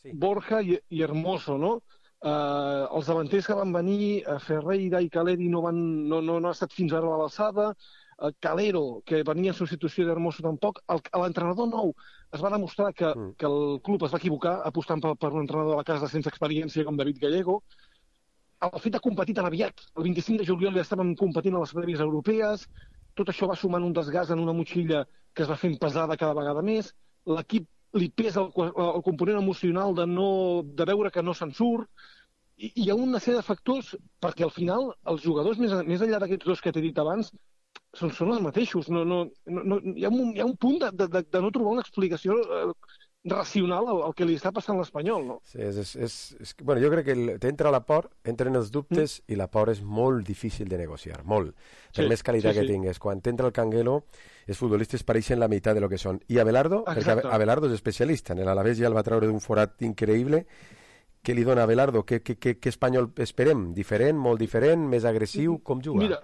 sí. Borja i, i Hermoso, no? Uh, els davanters que van venir, uh, Ferreira i Caleri no, van, no, no, no ha estat fins ara a l'alçada, uh, Calero, que venia en substitució d'Hermoso tampoc. El- L'entrenador nou es va demostrar que, Mm. que el club es va equivocar apostant per, per un entrenador de la casa sense experiència com David Gallego. El fet de competir tan aviat, el vint-i-cinc de juliol ja estàvem competint a les prèvies europees, tot això va sumant un desgast en una motxilla que es va fent pesada cada vegada més, l'equip li pesa el, el component emocional de, no, de veure que no se'n surt, i hi ha una sèrie de factors perquè al final els jugadors, més, més enllà d'aquests dos que t'he dit abans, són, són els mateixos. No, no, no, no, hi, ha un, hi ha un punt de, de, de no trobar una explicació eh, racional al, al que li està passant a l'Espanyol, no? Sí, és, és, és, és, que- bueno, jo crec que el- t'entra la por, entren els dubtes mm. i la por és molt difícil de negociar, molt. Per Sí, més qualitat sí, que sí. tingues. Quan t'entra el Canguelo, els futbolistes pareixen la meitat de lo que són. I Abelardo, perquè Exacte. Abe- Abelardo és especialista. En l'Alavés ja el va treure d'un forat increïble. Què li dona a Abelardo? Què, què, què, què espanyol esperem? Diferent, molt diferent, més agressiu? Com juga? Mira,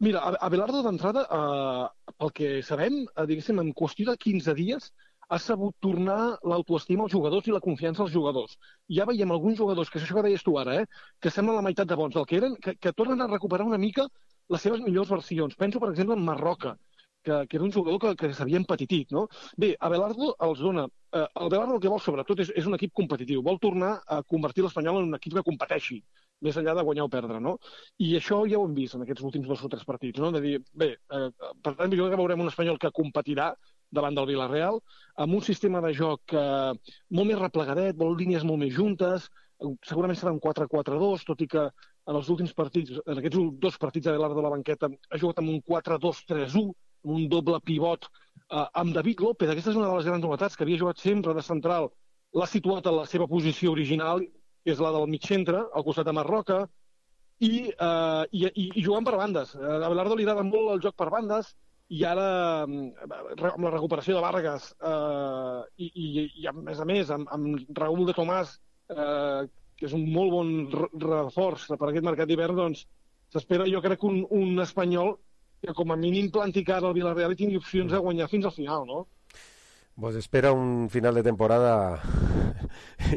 mira, A- Abelardo d'entrada, eh, pel que sabem, eh, diguéssim, en qüestió de quinze dies, ha sabut tornar l'autoestima als jugadors i la confiança als jugadors. Ja veiem alguns jugadors, que és això que deies tu ara, eh, que semblen la meitat de bons del que eren, que, que tornen a recuperar una mica les seves millors versions. Penso, per exemple, en Marroca, que, que era un jugador que, que s'havia empetitit, no? Bé, Abelardo els dona... Eh, Abelardo el que vol, sobretot, és, és un equip competitiu. Vol tornar a convertir l'Espanyol en un equip que competeixi, més enllà de guanyar o perdre, no? I això ja ho hem vist en aquests últims dos o tres partits, no? De dir, bé, eh, per tant, jo crec que veurem un Espanyol que competirà davant del Villarreal, amb un sistema de joc eh, molt més replegadet, vol línies molt més juntes, eh, segurament serà un quatre quatre dos, tot i que en els últims partits, en aquests dos partits de Abelardo a la banqueta, ha jugat amb un quatre dos tres u, amb un doble pivot, eh, amb David López. Aquesta és una de les grans novetats, que havia jugat sempre de central, l'ha situat a la seva posició original, que és la del mig centre, al costat de Marroca, i, eh, i, i, i jugant per bandes. A Abelardo li agrada molt el joc per bandes, i ara, amb la recuperació de Vargas, eh, i, i, i a més a més, amb, amb Raúl de Tomàs, eh, que és un molt bon re- reforç per aquest mercat d'hivern, doncs s'espera, jo crec, un, un espanyol que com a mínim planti cara al Villarreal i tingui opcions de guanyar fins al final, no? Vos espera un final de temporada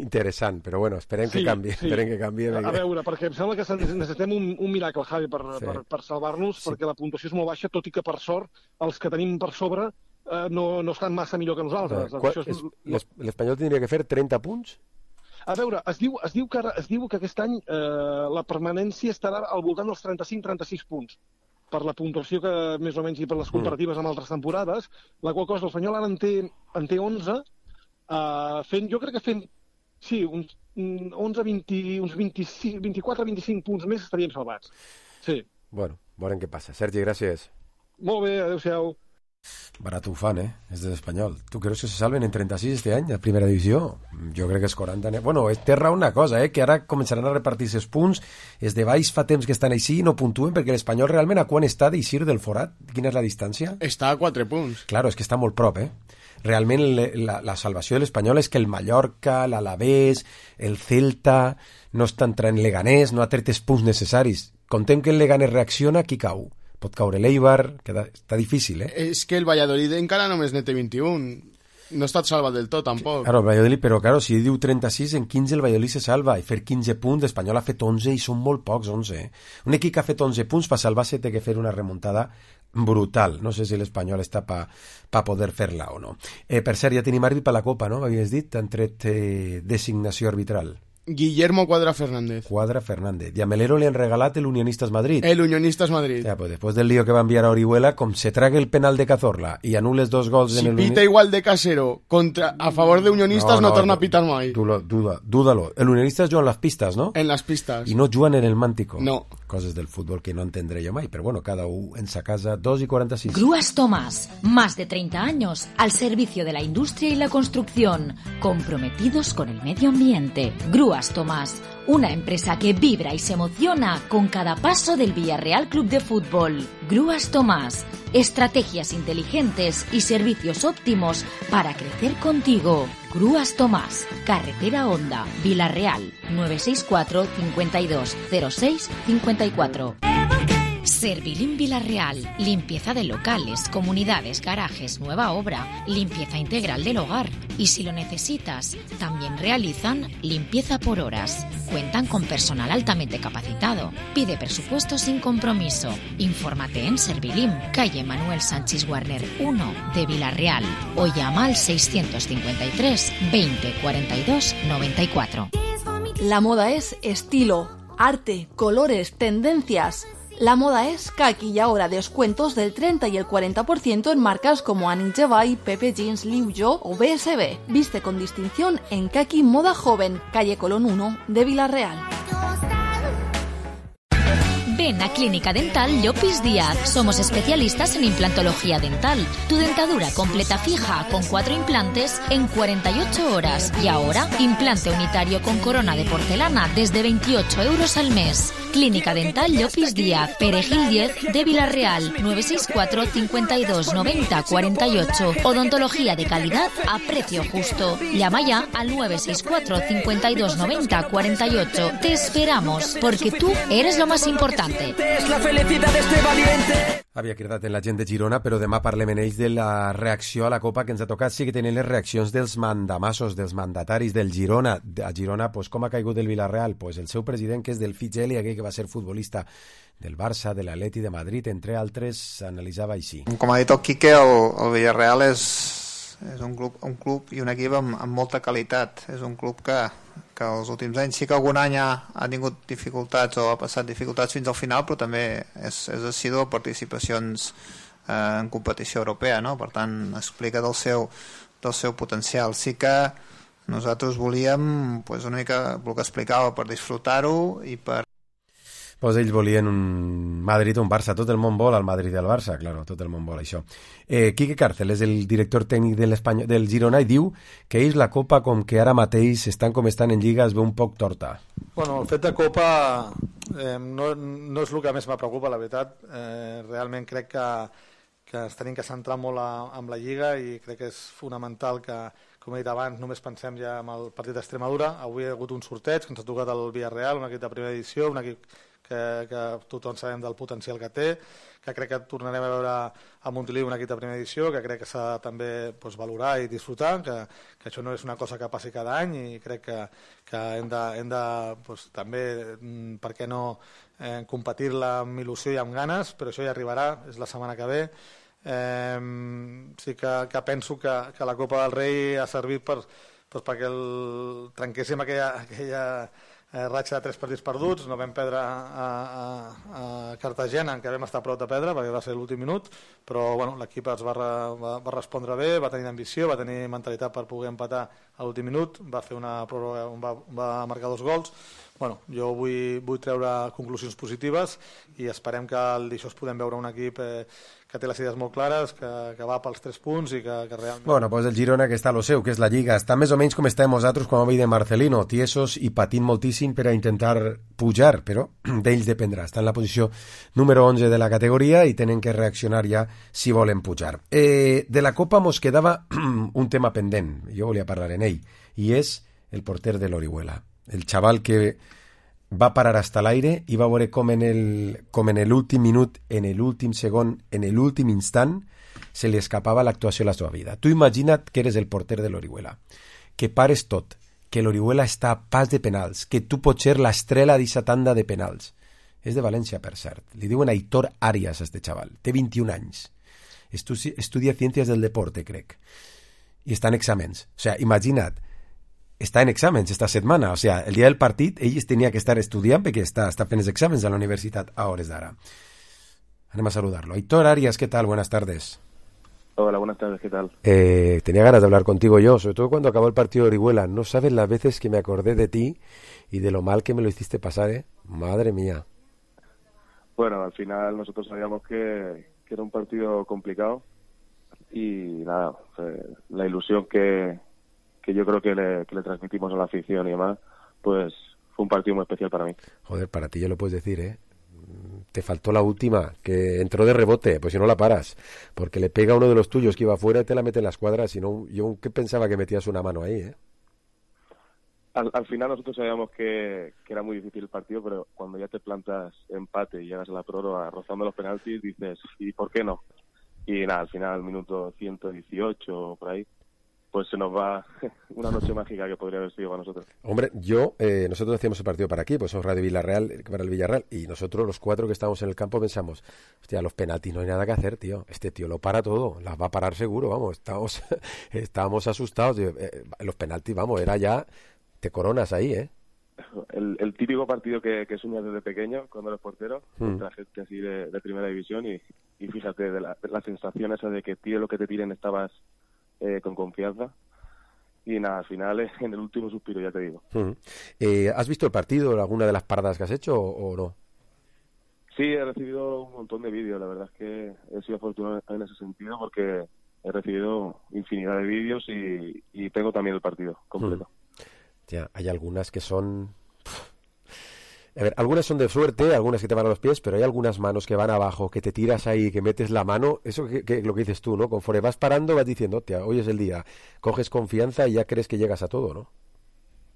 interessant, però bueno, esperem sí, que canvi. Sí. Esperem que canvi. A, a veure, perquè em sembla que necessitem un, un miracle, Javi, per, sí. per, per salvar-nos, sí. perquè la puntuació és molt baixa, tot i que, per sort, els que tenim per sobre eh, no, no estan massa millor que nosaltres. Qua, és, és, L'Espanyol tindria que fer trenta punts? A veure, es diu, es diu, que, ara, es diu que aquest any eh, la permanència estarà al voltant dels trenta-cinc trenta-sis punts, per la puntuació que més o menys i per les comparatives amb altres temporades, la qual cosa l'Espanyol ara en té, en té onze, uh, fent, jo crec que fent, sí, uns onze, vint, uns vint-i-cinc, vint-i-quatre vint-i-cinc punts més estaríem salvats. Sí. Bueno, veurem què passa. Sergi, gràcies. Molt bé, adéu-siau. Barat ho fan, eh? És de l'Espanyol. ¿Tú crees que se salven en trenta-sis este any, a primera divisió? Jo crec que és quaranta. Bueno, té raó una cosa, eh? Que ara començaran a repartir-se els punts. Els de baix fa temps que estan així i no puntuen, perquè l'Espanyol realment a quan està d'eixir del forat? Quina és la distància? Està a quatre punts. Claro, és que està molt prop, eh? Realment la, la salvació de l'Espanyol és que el Mallorca, l'Alavés, el Celta, no estan traient Leganés, no ha tret els punts necessaris. Contem que el Leganés reacciona, qui cau? Pot caure l'Eibar, que està difícil, eh? És que el Valladolid encara només n'hi té vint-i-un. No ha estat salvat del tot, tampoc. Claro, el Valladolid, però claro, si diu trenta-sis, en quinze el Valladolid se salva, i fer quinze punts, l'Espanyol ha fet onze i són molt pocs, onze. Eh? Un equip que ha fet onze punts per salvar-se té que fer una remuntada brutal. No sé si l'Espanyol està per pa poder fer-la o no. Eh, per cert, ja tenim àrbit per la Copa, no? M'havies dit, han tret eh, designació arbitral. Guillermo Cuadra Fernández. Cuadra Fernández. Y a Melero le han regalat el Unionistas Madrid. El Unionistas Madrid. Ya, pues después del lío que va a enviar a Orihuela, com se trague el penal de Cazorla y anules dos gols si en el... Si pita igual de Casero contra, a favor de Unionistas, no, no, no torna a pitar mai. Duda, duda, dúdalo. El Unionistas juega en las pistas, ¿no? En las pistas. Y no juegan en el Mántico. No. Cosas del fútbol que no entendré yo mai, pero bueno, cada uno en sa casa. Dos y cuarenta y seis. Grúas Tomás, más de treinta años al servicio de la industria y la construcción, comprometidos con el medio ambiente. Grúas Tomás, una empresa que vibra y se emociona con cada paso del Villarreal Club de Fútbol. Grúas Tomás, estrategias inteligentes y servicios óptimos para crecer contigo. Grúas Tomás, Carretera Honda, Villarreal, nueve seis cuatro, cincuenta y dos, cero seis, cincuenta y cuatro. Servilín Villarreal, limpieza de locales, comunidades, garajes, nueva obra, limpieza integral del hogar. Y si lo necesitas, también realizan limpieza por horas. Cuentan con personal altamente capacitado. Pide presupuesto sin compromiso. Infórmate en Servilín, calle Manuel Sánchez Warner uno de Villarreal, o llama al seiscientos cincuenta y tres, veinte, cuarenta y dos, noventa y cuatro. La moda es estilo, arte, colores, tendencias. La moda es Kaki y ahora descuentos del treinta y el cuarenta por ciento en marcas como Annie Jevay, Pepe Jeans, Liu Yo o B S B. Viste con distinción en Kaki Moda Joven, calle Colón uno de Villarreal. Ven a Clínica Dental Llopis Díaz. Somos especialistas en implantología dental. Tu dentadura completa fija con cuatro implantes en cuarenta y ocho horas. Y ahora, implante unitario con corona de porcelana desde veintiocho euros al mes. Clínica Dental Llopis Díaz, Perejil diez de Villarreal, nueve seis cuatro, cincuenta y dos, noventa, cuarenta y ocho. Odontología de calidad a precio justo. Llama ya al nueve seis cuatro, cincuenta y dos, noventa, cuarenta y ocho. Te esperamos, porque tú eres lo más importante. Es la felicidad de este valiente. Havia cridat en la gent de Girona, però demà parlem en ells de la reacció a la Copa que ens ha tocat. Sí que tenen les reaccions dels mandamassos, dels mandataris del Girona. A Girona, pues, com ha caigut el Villarreal? Pues el seu president, que és del Fitgeli, aquell que va ser futbolista del Barça, de l'Atleti de Madrid, entre altres, analitzava així. Com ha dit el Quique, el, el Villarreal és, és un, club, un club i un equip amb, amb molta qualitat. És un club que, que els últims anys sí que algun any ha, ha tingut dificultats o ha passat dificultats fins al final, però també és, és assidu a participacions eh, en competició europea, no? Per tant, explica del seu, del seu potencial. Sí que nosaltres volíem, pues, una mica el que explicava, per disfrutar-ho i per... Pues ells volien un Madrid o un Barça. Tot el món vol al Madrid i al Barça, claro, tot el món vol això. Eh, Quique Cárcel és el director tècnic de del Girona i diu que ells la Copa, com que ara mateix estan com estan en Lliga, es veu un poc torta. Bueno, el fet de Copa eh, no, no és el que més me preocupa, la veritat. Eh, realment crec que, que ens tenim que centrar molt a, amb la Lliga i crec que és fonamental que, com he dit abans, només pensem ja en el partit d'Extremadura. Avui hi ha hagut un sorteig que ens ha tocat el Villarreal, un equip de primera edició, un equip que, que tothom sabem del potencial que té, que crec que tornarem a veure a Montiliu un equip de primera edició, que crec que s'ha de també doncs, valorar i disfrutar, que, que això no és una cosa que passi cada any i crec que, que hem de, hem de doncs, també, per què no, eh, competir-la amb il·lusió i amb ganes, però això ja arribarà, és la setmana que ve. Eh, sí que, que penso que, que la Copa del Rei ha servit per, doncs, perquè el, trenquéssim aquella, aquella eh, ratxa de tres partits perduts. No vam perdre a, a, a Cartagena, en què vam estar a prop de perdre perquè va ser l'últim minut, però bueno, l'equip es va, va, va respondre bé, va tenir ambició, va tenir mentalitat per poder empatar a l'últim minut, va fer una pròrroga on va, va marcar dos gols. Bueno, jo vull, vull treure conclusions positives i esperem que al dijous podem veure un equip eh, que té les idees molt clares, que, que va pels tres punts i que, que realment... Bueno, pues el Girona que està a lo seu, que és la Lliga, està més o menys com estem nosaltres quan veiem de Marcelino, tiesos i patint moltíssim per a intentar pujar, però d'ells dependrà. Està en la posició número onze de la categoria i tenen que reaccionar ja si volen pujar. Eh, de la Copa mos quedava un tema pendent, jo volia parlar en ell, i és el porter de l'Orihuela. El xaval que va parar hasta l'aire i va veure com en el com en l'últim minut, en l'últim segon, en l'últim instant se li escapava l'actuació a la seva vida. Tu imagina't que eres el porter de l'Orihuela, que pares tot, que l'Orihuela està a pas de penals, que tu pots ser l'estrela d'aquesta tanda de penals. És de València, per cert. Li diuen Aitor Arias a este xaval. Té vint-i-un anys. Estu- estudia Ciències del Deporte, crec. I està en exàmens. O sea, imagina't, està en exàmens esta setmana, o sea, el dia del partit ell tenia que estar estudiant perquè està, està fent els exàmens a la universitat a hores d'ara. Anem a saludarlo. Aitor Arias, ¿qué tal? Buenas tardes. Hola, buenas tardes, ¿qué tal? Eh, tenía ganas de hablar contigo yo, sobre todo cuando acabó el partido de Orihuela. No sabes las veces que me acordé de ti y de lo mal que me lo hiciste pasar, ¿eh? Madre mía. Bueno, al final nosotros sabíamos que, que era un partido complicado y nada, eh, la ilusión que... que yo creo que le, que le transmitimos a la afición y demás, pues fue un partido muy especial para mí. Joder, para ti ya lo puedes decir, ¿eh? Te faltó la última, que entró de rebote, pues si no la paras, porque le pega a uno de los tuyos que iba afuera y te la mete en la escuadra, si no, yo que pensaba que metías una mano ahí, ¿eh? Al, al final nosotros sabíamos que, que era muy difícil el partido, pero cuando ya te plantas empate y llegas a la prórroga rozando los penaltis, dices, ¿y por qué no? Y nada, al final, al minuto ciento dieciocho, por ahí, pues se nos va una noche mágica que podría haber sido para nosotros. Hombre, yo, eh, nosotros hacíamos el partido para aquí, pues somos Radio Villarreal, para el Villarreal, y nosotros los cuatro que estábamos en el campo pensamos, hostia, los penaltis no hay nada que hacer, tío, este tío lo para todo, las va a parar seguro, vamos, estábamos, estábamos asustados, tío. Eh, los penaltis, vamos, era ya, te coronas ahí, ¿eh? El, el típico partido que, que sueñas desde pequeño, cuando eres portero, Mm. contra gente así de, de primera división, y, y fíjate, de la, de la sensación esa de que tire lo que te tiren estabas eh, con confianza. Y nada, al final, eh, en el último suspiro, ya te digo. Mm. Eh, ¿Has visto el partido, alguna de las paradas que has hecho o, o no? Sí, he recibido un montón de vídeos. La verdad es que he sido afortunado en ese sentido porque he recibido infinidad de vídeos y, y tengo también el partido completo. Mm. Ya, hay algunas que son... A ver, algunas son de suerte, algunas que te van a los pies, pero hay algunas manos que van abajo, que te tiras ahí, que metes la mano, eso que, que lo que dices tú, ¿no? Conforme vas parando vas diciendo, hostia, hoy es el día, coges confianza y ya crees que llegas a todo, ¿no?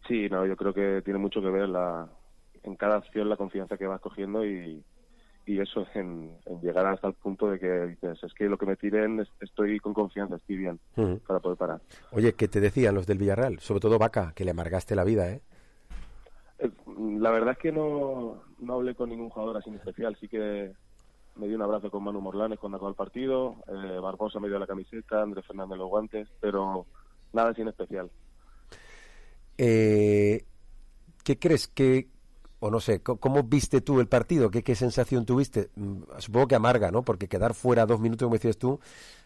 Sí, no, yo creo que tiene mucho que ver la, en cada acción la confianza que vas cogiendo y, y eso, en, en llegar hasta el punto de que dices, es que lo que me tiren es- estoy con confianza, estoy bien Ujú. para poder parar. Oye, ¿qué te decían los del Villarreal? Sobre todo Vaca, que le amargaste la vida, ¿eh? Eh, La verdad es que no, no hablé con ningún jugador así en especial. Sí que me di un abrazo con Manu Morlanes cuando acabó el partido. Eh, Barbosa me dio la camiseta, Andrés Fernández los guantes, pero nada así en especial. Eh, ¿Qué crees que, o no sé, co- cómo viste tú el partido? ¿Qué, qué sensación tuviste? Mm, Supongo que amarga, ¿no? Porque quedar fuera dos minutos, como decías tú,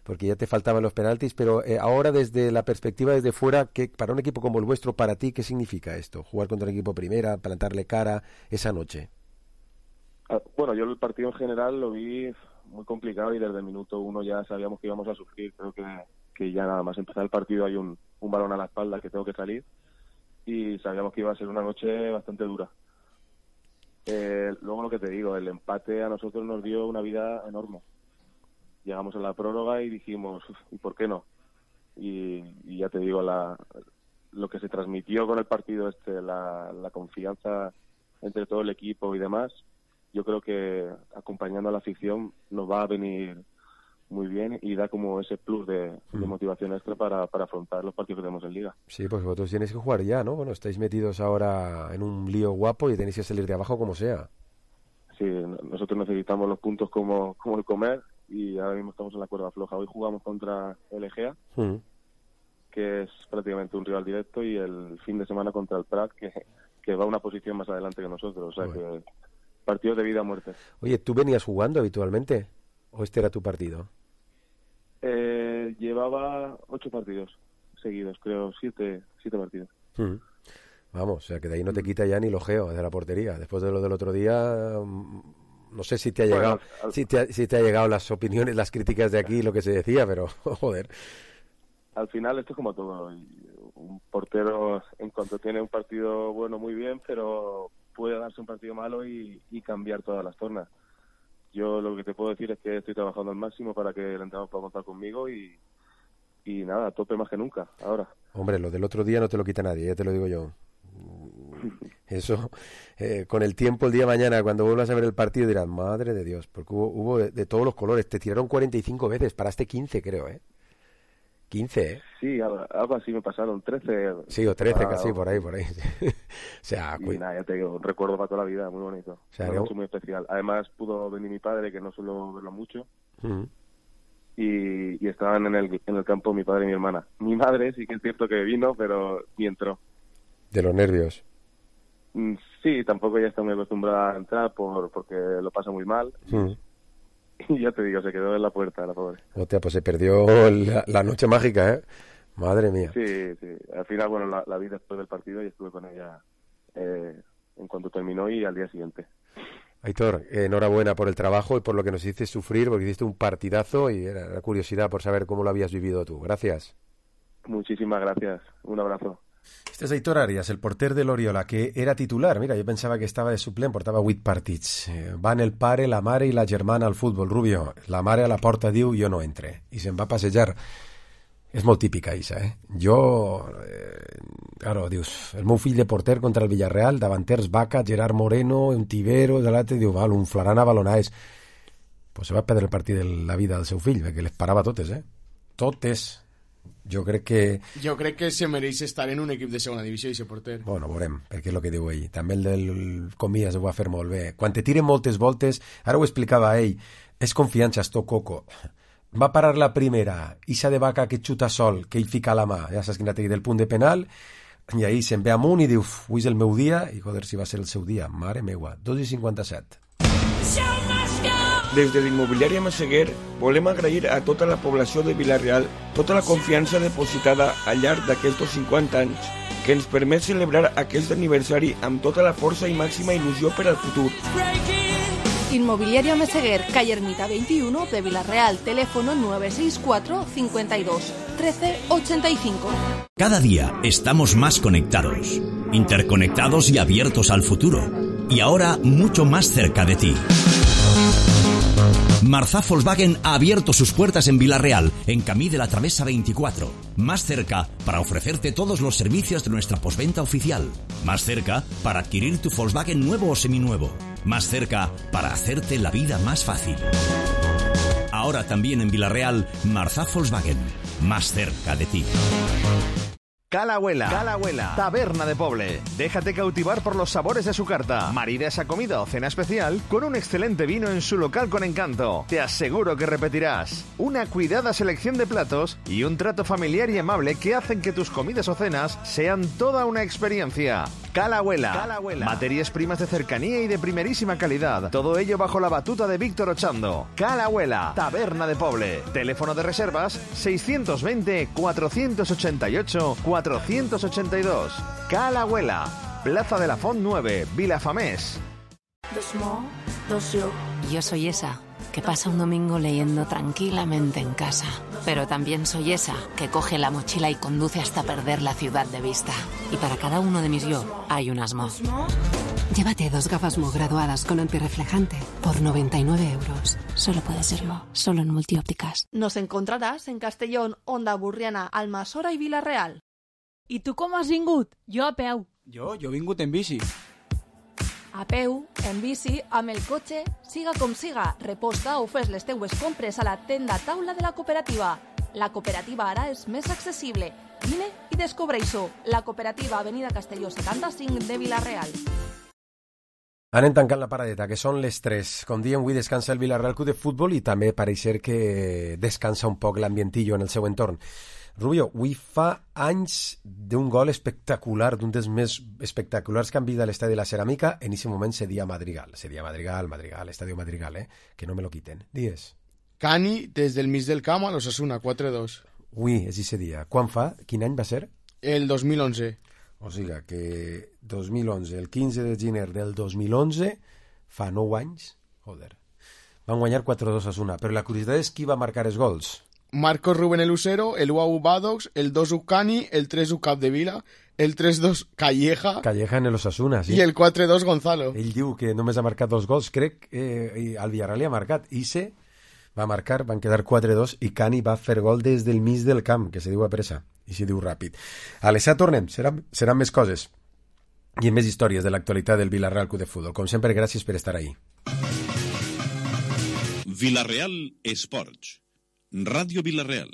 porque ya te faltaban los penaltis, pero eh, ahora desde la perspectiva desde fuera, ¿qué, para un equipo como el vuestro, para ti, ¿qué significa esto? Jugar contra un equipo primera, plantarle cara esa noche. Ah, Bueno, yo el partido en general lo vi muy complicado y desde el minuto uno ya sabíamos que íbamos a sufrir. Creo que, que ya nada más empezar el partido hay un, un balón a la espalda que tengo que salir y sabíamos que iba a ser una noche bastante dura. Eh, luego lo que te digo, el empate a nosotros nos dio una vida enorme. Llegamos a la prórroga y dijimos, "Uf, ¿y por qué no?" Y, y ya te digo, la, lo que se transmitió con el partido este, la, la confianza entre todo el equipo y demás, yo creo que acompañando a la afición nos va a venir muy bien y da como ese plus de, de motivación extra para, para afrontar los partidos que tenemos en Liga. Sí, pues vosotros tenéis que jugar ya, ¿no? Bueno, estáis metidos ahora en un lío guapo y tenéis que salir de abajo como sea. Sí, nosotros necesitamos los puntos como, como el comer y ahora mismo estamos en la cuerda floja. Hoy jugamos contra el Egea, mm. que es prácticamente un rival directo, y el fin de semana contra el Prat, que, que va a una posición más adelante que nosotros. O sea, bueno, que partidos de vida o muerte. Oye, ¿tú venías jugando habitualmente o este era tu partido? Eh, llevaba ocho partidos seguidos, creo, siete, siete partidos. Mm. Vamos, o sea, que de ahí no te quita ya ni lo geo de la portería. Después de lo del otro día, no sé si te ha bueno, llegado al... si, te ha, si te ha llegado las opiniones, las críticas de aquí, lo que se decía, pero joder. Al final esto es como todo. Un portero, en cuanto tiene un partido bueno, muy bien, pero puede darse un partido malo y, y cambiar todas las tornas. Yo lo que te puedo decir es que estoy trabajando al máximo para que el entrenador pueda contar conmigo y, y nada, a tope más que nunca, ahora. Hombre, lo del otro día no te lo quita nadie, ya te lo digo yo. Eso, eh, con el tiempo, el día de mañana, cuando vuelvas a ver el partido, dirás, madre de Dios, porque hubo, hubo de, de todos los colores. Te tiraron cuarenta y cinco veces, paraste quince, creo, ¿eh? quince, ¿eh? Sí, algo, algo así me pasaron, trece. Sí, o trece, para... casi, por ahí, por ahí. O sea, y nada, ya te digo, un recuerdo para toda la vida, muy bonito. O sea, una noche muy especial. Además, pudo venir mi padre, que no suelo verlo mucho, uh-huh. y, y estaban en el, en el campo mi padre y mi hermana. Mi madre sí que es cierto que vino, pero ni entró. ¿De los nervios? Sí, tampoco ella está muy acostumbrada a entrar por porque lo pasa muy mal. Uh-huh. Y ya te digo, se quedó en la puerta, la pobre. Hostia, pues se perdió la, la noche mágica, ¿eh? Madre mía. Sí, sí. Al final, bueno, la, la vi después del partido y estuve con ella eh, en cuanto terminó y al día siguiente. Aitor, eh, enhorabuena por el trabajo y por lo que nos hiciste sufrir, porque hiciste un partidazo y era la curiosidad por saber cómo lo habías vivido tú. Gracias. Muchísimas gracias. Un abrazo. Este és Aitor Arias, el porter de l'Oriola, que era titular. Mira, jo pensava que estava de suplent, portava vuit partits. Eh, van el pare, la mare i la germana al futbol. Rubio, la mare a la porta diu jo no entre, i se'n va a passejar. És molt típica, Isa, eh? Jo, eh, claro, dius, el meu fill de porter contra el Villarreal, davanters Vaca, Gerard Moreno, un Tibero, de l'altre, diu, val, un flaran a balonades. Pues se va perdre el partit de la vida del seu fill, perquè les parava totes, eh? Totes. Jo crec que... Jo crec que se mereix estar en un equip de segona divisió i ser porter. Bueno, veurem, perquè és el que diu ell. També el del Comillas ho va fer molt bé. Quan te tiren moltes voltes, ara ho explicava ell, és confiança, esto coco. Va parar la primera, Isa de Vaca que xuta sol, que ell fica la mà, ja saps quina té del punt de penal, i ahí se'n ve amunt i diu, avui és el meu dia, i joder, si va ser el seu dia, mare meua, dos i cinquanta-set. Des de l'immobiliària Masseguer volem agrair a tota la població de Vila-real tota la confiança depositada al llarg d'aquests cinquanta anys que ens permet celebrar aquest aniversari amb tota la força i màxima il·lusió per al futur. Inmobiliaria Meseguer, calle Ermita veintiuno de Vila-real, teléfono nueve seis cuatro, cincuenta y dos, trece ochenta y cinco. Cada día estamos más conectados, interconectados y abiertos al futuro, y ahora mucho más cerca de ti. Marzá Volkswagen ha abierto sus puertas en Vila-real, en Camí de la Travesa veinticuatro. Más cerca para ofrecerte todos los servicios de nuestra postventa oficial. Más cerca para adquirir tu Volkswagen nuevo o seminuevo. Más cerca para hacerte la vida más fácil. Ahora también en Vila-real, Marzá Volkswagen. Más cerca de ti. Calahuela, Calahuela, taberna de Poble. Déjate cautivar por los sabores de su carta. Marida esa comida o cena especial con un excelente vino en su local con encanto. Te aseguro que repetirás. Una cuidada selección de platos y un trato familiar y amable que hacen que tus comidas o cenas sean toda una experiencia. Calahuela, Calahuela. Materias primas de cercanía y de primerísima calidad. Todo ello bajo la batuta de Víctor Ochando. Calahuela, taberna de Poble. Teléfono de reservas seiscientos veinte, cuatrocientos ochenta y ocho, cuatrocientos ochenta y dos. Calahuela, Plaza de la Font nueve, Vilafamés. Dos mo, dos yo. Yo soy esa que pasa un domingo leyendo tranquilamente en casa. Pero también soy esa que coge la mochila y conduce hasta perder la ciudad de vista. Y para cada uno de mis yo hay unas mo. Llévate dos gafas Mo graduadas con antirreflejante por noventa y nueve euros. Solo puede ser Mo, solo en Multiópticas. Nos encontrarás en Castellón, Onda Burriana, Almassora i Vila-real. I tu com has vingut? Jo a peu. Jo, jo he vingut en bici. A peu, en bici, amb el cotxe, siga com siga, reposta o fes les teues compres a la tenda taula de la cooperativa. La cooperativa ara és més accessible. Vine i descobreix-ho. La cooperativa Avenida Castelló setanta-cinc de Vila-real. Anem tancant la paradeta, que són les tres. Com diem, avui descansa el Vila-real Club de Futbol i també pareix ser que descansa un poc l'ambientillo en el seu entorn. Rubio, avui fa anys d'un gol espectacular, d'un dels més espectaculars que han vist a l'estadi de la Ceràmica. En aquest moment seria Madrigal. Seria Madrigal, Madrigal, Estadio Madrigal, eh? Que no me lo quiten. Dies. Cani, des del mig del camp a l'Osasuna, quatre dos. Ui, és aquest dia. Quan fa? Quin any va ser? El dos mil onze. O sigui que dos mil onze, el quinze de gener del dos mil onze, fa nou anys, joder, van guanyar quatre dos a Osasuna. Però la curiositat és qui va marcar els gols. Marcos Rubén el Lucero, el u a u Badox, el dos u Cani, el tres u Capdevila, el tres dos Calleja... Calleja en el Osasuna, sí. I el quatre dos Gonzalo. Ell diu que només ha marcat dos gols, crec que eh, el Villarreal li ha marcat. Ise va marcar, van quedar quatre dos i Cani va fer gol des del mig del camp, que se diu a pressa i se diu ràpid. A les set tornem, seran, seran més coses i més històries de l'actualitat del Villarreal Club de Futbol. Com sempre, gràcies per estar ahí. Villarreal Esports, Ràdio Villarreal.